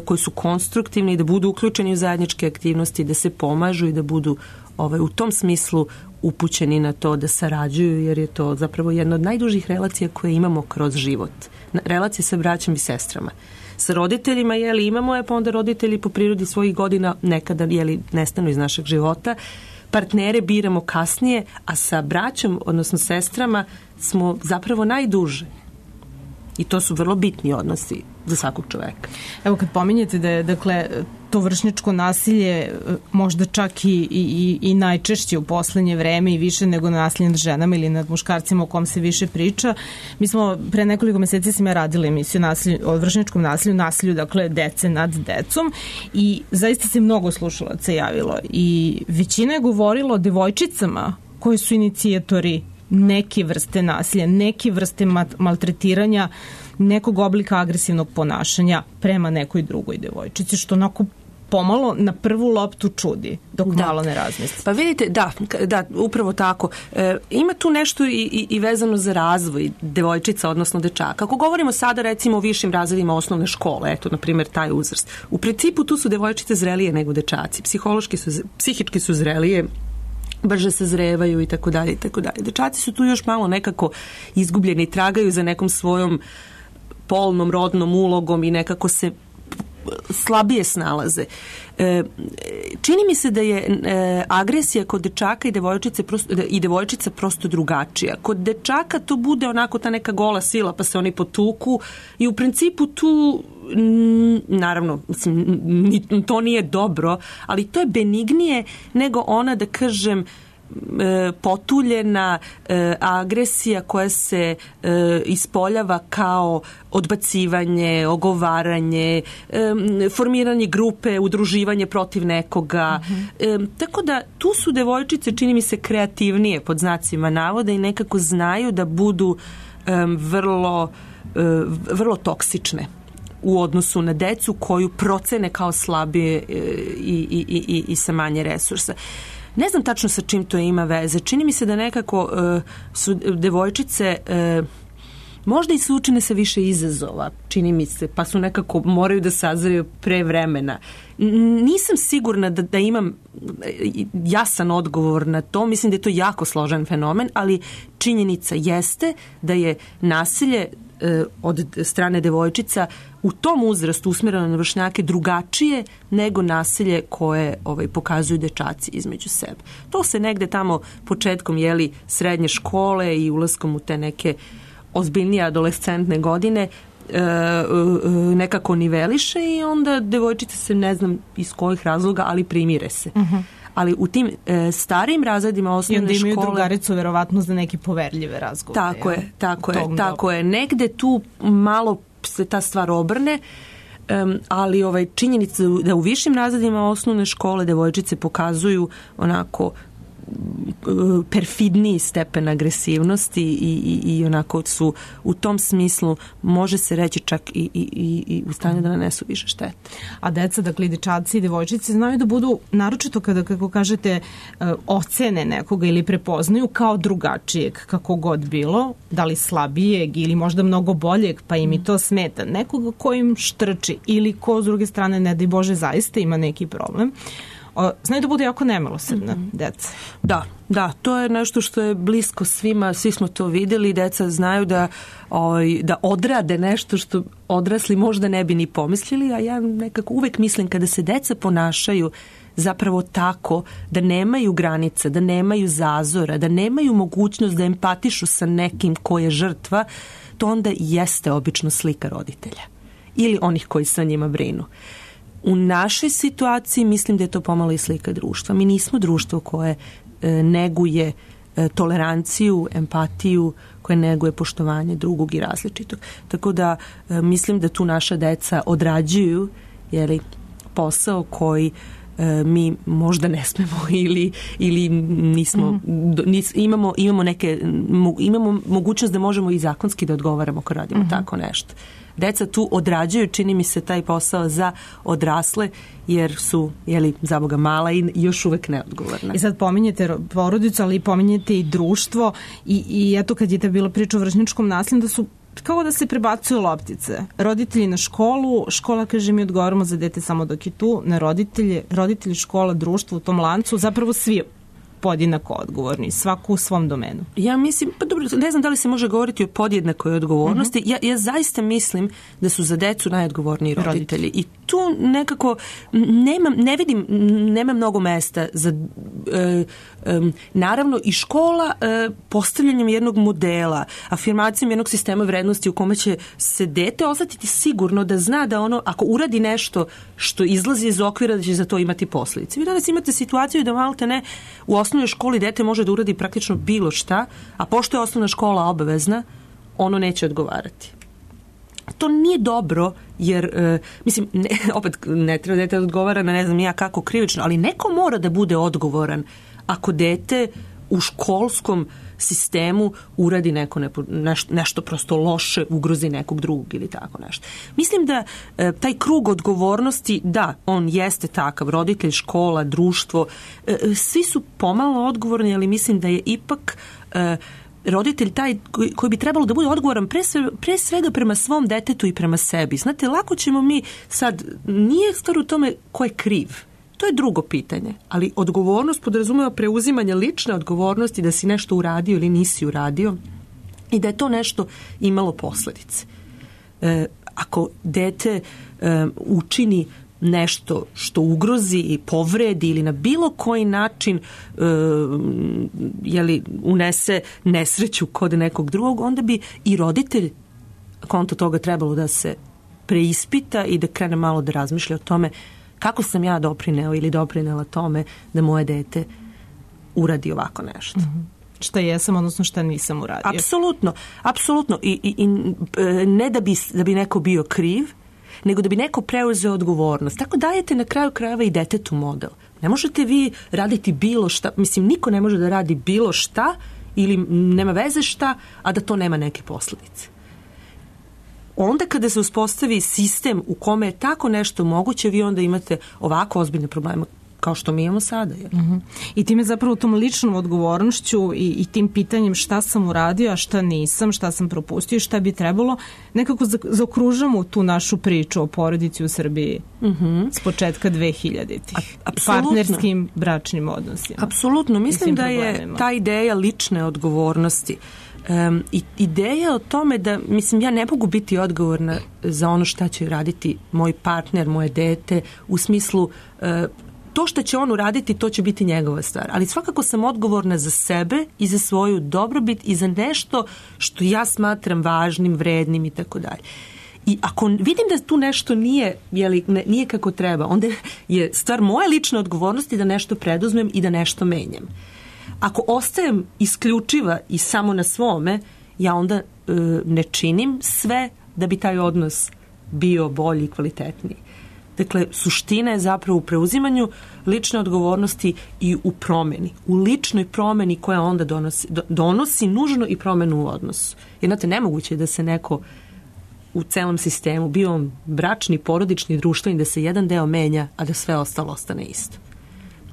koji su konstruktivni i da budu uključeni u zajedničke aktivnosti, da se pomažu i da budu ovaj, u tom smislu upućeni na to da sarađuju, jer je to zapravo jedna od najdužih relacija koje imamo kroz život. Relacije sa braćom i sestrama. Sa roditeljima, jeli, imamo je, pa onda roditelji po prirodi svojih godina nekada, jeli, nestanu iz našeg života. Partnere biramo kasnije, a sa braćom, odnosno sestrama, smo zapravo najduže. I to su vrlo bitni odnosi za svakog čoveka. Evo kad pominjete da je, dakle, to vršnjačko nasilje možda čak i, i, i najčešće u poslednje vreme i više nego nasilje nad ženama ili nad muškarcima o kom se više priča. Mi smo pre nekoliko meseci sam ja radila emisiju nasilju, o vršnjačkom nasilju, nasilju, dakle, dece nad decom i zaista se mnogo slušalaca javilo i većina je govorila o devojčicama koji su inicijatori neke vrste nasilja, neke vrste maltretiranja, nekog oblika agresivnog ponašanja prema nekoj drugoj devojčici, što onako pomalo na prvu loptu čudi, dok da. malo ne razmisli. Pa vidite, da, da, upravo tako. E, ima tu nešto i, i, i vezano za razvoj devojčica, odnosno dečaka. Ako govorimo sada recimo o višim razredima osnovne škole, eto, na primjer, taj uzrast. U principu tu su devojčice zrelije nego dečaci. Psihološki su, psihički su zrelije, brže se zrevaju i tako dalje i tako dalje. Dečaci su tu još malo nekako izgubljeni i tragaju za nekom svojom polnom, rodnom ulogom i nekako se slabije snalaze. E, čini mi se da je e, agresija kod dečaka i devojčice prosto, i devojčica prosto drugačija. Kod dečaka to bude onako ta neka gola sila pa se oni potuku i u principu tu n, naravno mislim, to nije dobro, ali to je benignije nego ona, da kažem, potuljena e, agresija koja se e, ispoljava kao odbacivanje, ogovaranje, e, formiranje grupe, udruživanje protiv nekoga. Mm-hmm. E, tako da tu su devojčice, čini mi se, kreativnije pod znacima navoda i nekako znaju da budu e, vrlo, e, vrlo toksične u odnosu na decu koju procene kao slabije e, i, i, i, i sa manje resursa. Ne znam tačno sa čim to ima veze. Čini mi se da nekako uh, su devojčice uh, možda i suočene sa više izazova, čini mi se, pa su nekako moraju da sazreju pre vremena. Nisam sigurna da, da imam jasan odgovor na to. Mislim da je to jako složen fenomen, ali činjenica jeste da je nasilje od strane devojčica u tom uzrastu usmjereno na vršnjake drugačije nego nasilje koje ovaj, pokazuju dečaci između sebe. To se negde tamo početkom jeli srednje škole i ulaskom u te neke ozbiljnije adolescentne godine e, nekako niveliše i onda devojčice se ne znam iz kojih razloga, ali primire se. Uh-huh. Ali u tim e, starijim razredima osnovne škole... I onda imaju škole, drugaricu verovatno za neke poverljive razgovore. Tako je, tako je, tako je. Negde tu malo se ta stvar obrne, um, ali ovaj, činjenica da u višim razredima osnovne škole devojčice pokazuju onako perfidniji stepen agresivnosti i, i, i onako su u tom smislu može se reći čak i, i, i u stanju da nanesu više štete. A deca, dakle dečaci i devojčice znaju da budu, naročito kada, kako kažete, ocene nekoga ili prepoznaju kao drugačijeg, kako god bilo, da li slabijeg ili možda mnogo boljeg, pa im i to smeta. Nekoga ko im štrči ili ko s druge strane, ne daj Bože, zaista ima neki problem. O, znaju da bude jako nemilosrdna mm-hmm. deca. Da, da, to je nešto što je blisko svima, svi smo to videli, deca znaju da, oj, da odrade nešto što odrasli možda ne bi ni pomislili, a ja nekako uvek mislim kada se deca ponašaju zapravo tako da nemaju granica, da nemaju zazora, da nemaju mogućnost da empatišu sa nekim ko je žrtva, to onda jeste obično slika roditelja ili onih koji sa njima brinu. U našoj situaciji mislim da je to pomalo i slika društva. Mi nismo društvo koje e, neguje e, toleranciju, empatiju, koje neguje poštovanje drugog i različitog. Tako da e, mislim da tu naša deca odrađuju jeli, posao koji e, mi možda ne smemo ili, ili nismo, mm-hmm. nis, imamo, imamo, neke, mo, imamo mogućnost da možemo i zakonski da odgovaramo ako radimo mm-hmm. tako nešto. Deca tu odrađuju, čini mi se, taj posao za odrasle, jer su, jeli, za Boga mala i još uvek neodgovorna. I sad pominjete porodicu, ali pominjete i društvo i, i eto kad je ta bila priča o vršnjačkom nasilju, da su kao da se prebacuju loptice. Roditelji na školu, škola kaže mi odgovaramo za dete samo dok je tu, na roditelje, roditelji, škola, društvo u tom lancu, zapravo svi podjednako odgovorni, svaku u svom domenu. Ja mislim, pa dobro, ne znam da li se može govoriti o podjednakoj odgovornosti. Uh-huh. Ja, ja zaista mislim da su za decu najodgovorniji roditelji. roditelji. I tu nekako nema, ne vidim, nema mnogo mesta za e, e, naravno i škola e, postavljanjem jednog modela, afirmacijom jednog sistema vrednosti u kome će se dete osetiti sigurno da zna da ono, ako uradi nešto što izlazi iz okvira, da će za to imati posljedice. Vi danas imate situaciju da malte ne u osnovnoj školi dete može da uradi praktično bilo šta, a pošto je osnovna škola obavezna, ono neće odgovarati. To nije dobro, jer, e, mislim, ne, opet ne treba dete da odgovara na ne znam ja kako krivično, ali neko mora da bude odgovoran ako dete u školskom sistemu uradi neko nepo, nešto, nešto prosto loše, ugrozi nekog drugog ili tako nešto. Mislim da e, taj krug odgovornosti, da, on jeste takav, roditelj, škola, društvo, e, svi su pomalo odgovorni, ali mislim da je ipak e, roditelj taj koji, koji bi trebalo da bude odgovoran pre, sve, pre svega prema svom detetu i prema sebi. Znate, lako ćemo mi sad, nije stvar u tome ko je kriv. To je drugo pitanje, ali odgovornost podrazumeva preuzimanje lične odgovornosti da si nešto uradio ili nisi uradio i da je to nešto imalo posljedice. E, ako dete e, učini nešto što ugrozi i povredi ili na bilo koji način e, jeli, unese nesreću kod nekog drugog, onda bi i roditelj konto toga trebalo da se preispita i da krene malo da razmišlja o tome kako sam ja doprineo ili doprinela tome da moje dete uradi ovako nešto. Mm-hmm. Šta jesam, odnosno šta nisam uradio. Apsolutno, apsolutno. I, i, i ne da bi, da bi neko bio kriv, nego da bi neko preuzeo odgovornost. Tako dajete na kraju krajeva i detetu model. Ne možete vi raditi bilo šta, mislim, niko ne može da radi bilo šta ili nema veze šta, a da to nema neke posljedice. Onda kada se uspostavi sistem u kome je tako nešto moguće, vi onda imate ovako ozbiljne probleme kao što mi imamo sada. Uh-huh. I time zapravo tom ličnom odgovornošću i, i tim pitanjem šta sam uradio, a šta nisam, šta sam propustio i šta bi trebalo, nekako zaokružamo tu našu priču o porodici u Srbiji uh-huh. s početka dvehiljaditih. Partnerskim bračnim odnosima. Apsolutno. Mislim da je ta ideja lične odgovornosti Um, i ideja o tome da, mislim, ja ne mogu biti odgovorna za ono šta će raditi moj partner, moje dete, u smislu uh, to što će on uraditi, to će biti njegova stvar. Ali svakako sam odgovorna za sebe i za svoju dobrobit i za nešto što ja smatram važnim, vrednim i tako dalje. I ako vidim da tu nešto nije, jeli, ne, nije kako treba, onda je stvar moje lične odgovornosti da nešto preduzmem i da nešto menjam. Ako ostajem isključiva i samo na svome, ja onda e, ne činim sve da bi taj odnos bio bolji i kvalitetniji. Dakle, suština je zapravo u preuzimanju lične odgovornosti i u promeni. U ličnoj promeni koja onda donosi, donosi nužno i promenu u odnosu. Jer, znate, nemoguće je da se neko u celom sistemu, bio on bračni, porodični, društveni, da se jedan deo menja, a da sve ostalo ostane isto.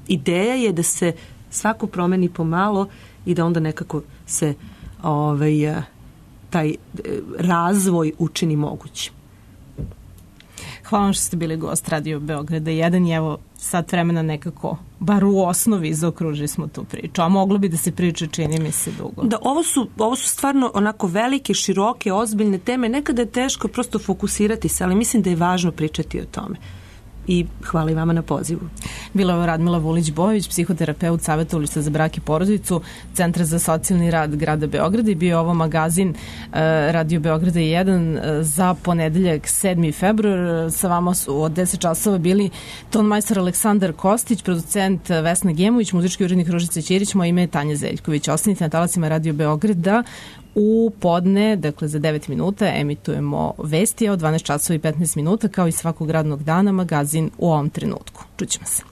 Ideja je da se svako promeni pomalo i da onda nekako se ovaj, taj razvoj učini mogućim. Hvala vam što ste bili gost Radio Beograda jedan i evo sat vremena nekako, bar u osnovi, zaokružili smo tu priču. A moglo bi da se priča, čini mi se, dugo. Da, ovo su, ovo su stvarno onako velike, široke, ozbiljne teme. Nekada je teško prosto fokusirati se, ali mislim da je važno pričati o tome. I hvala i vama na pozivu. Bila je Radmila Vulić-Bojović, psihoterapeut Savjetovališta za brak i porodicu Centra za socijalni rad grada Beograda i bio ovo magazin uh, Radio Beograda jedan uh, za ponedeljak sedmi februar. Sa vama su od deset časova bili tonmajstor Aleksandar Kostić, producent Vesna Gemović, muzički urednik Ružica Ćirić, moje ime je Tanja Zeljković. Ostanite na talacima Radio Beograda. U podne, dakle za devet minuta, emitujemo vesti, od dvanaest časova i petnaest minuta, kao i svakog radnog dana, magazin u ovom trenutku. Čućemo se.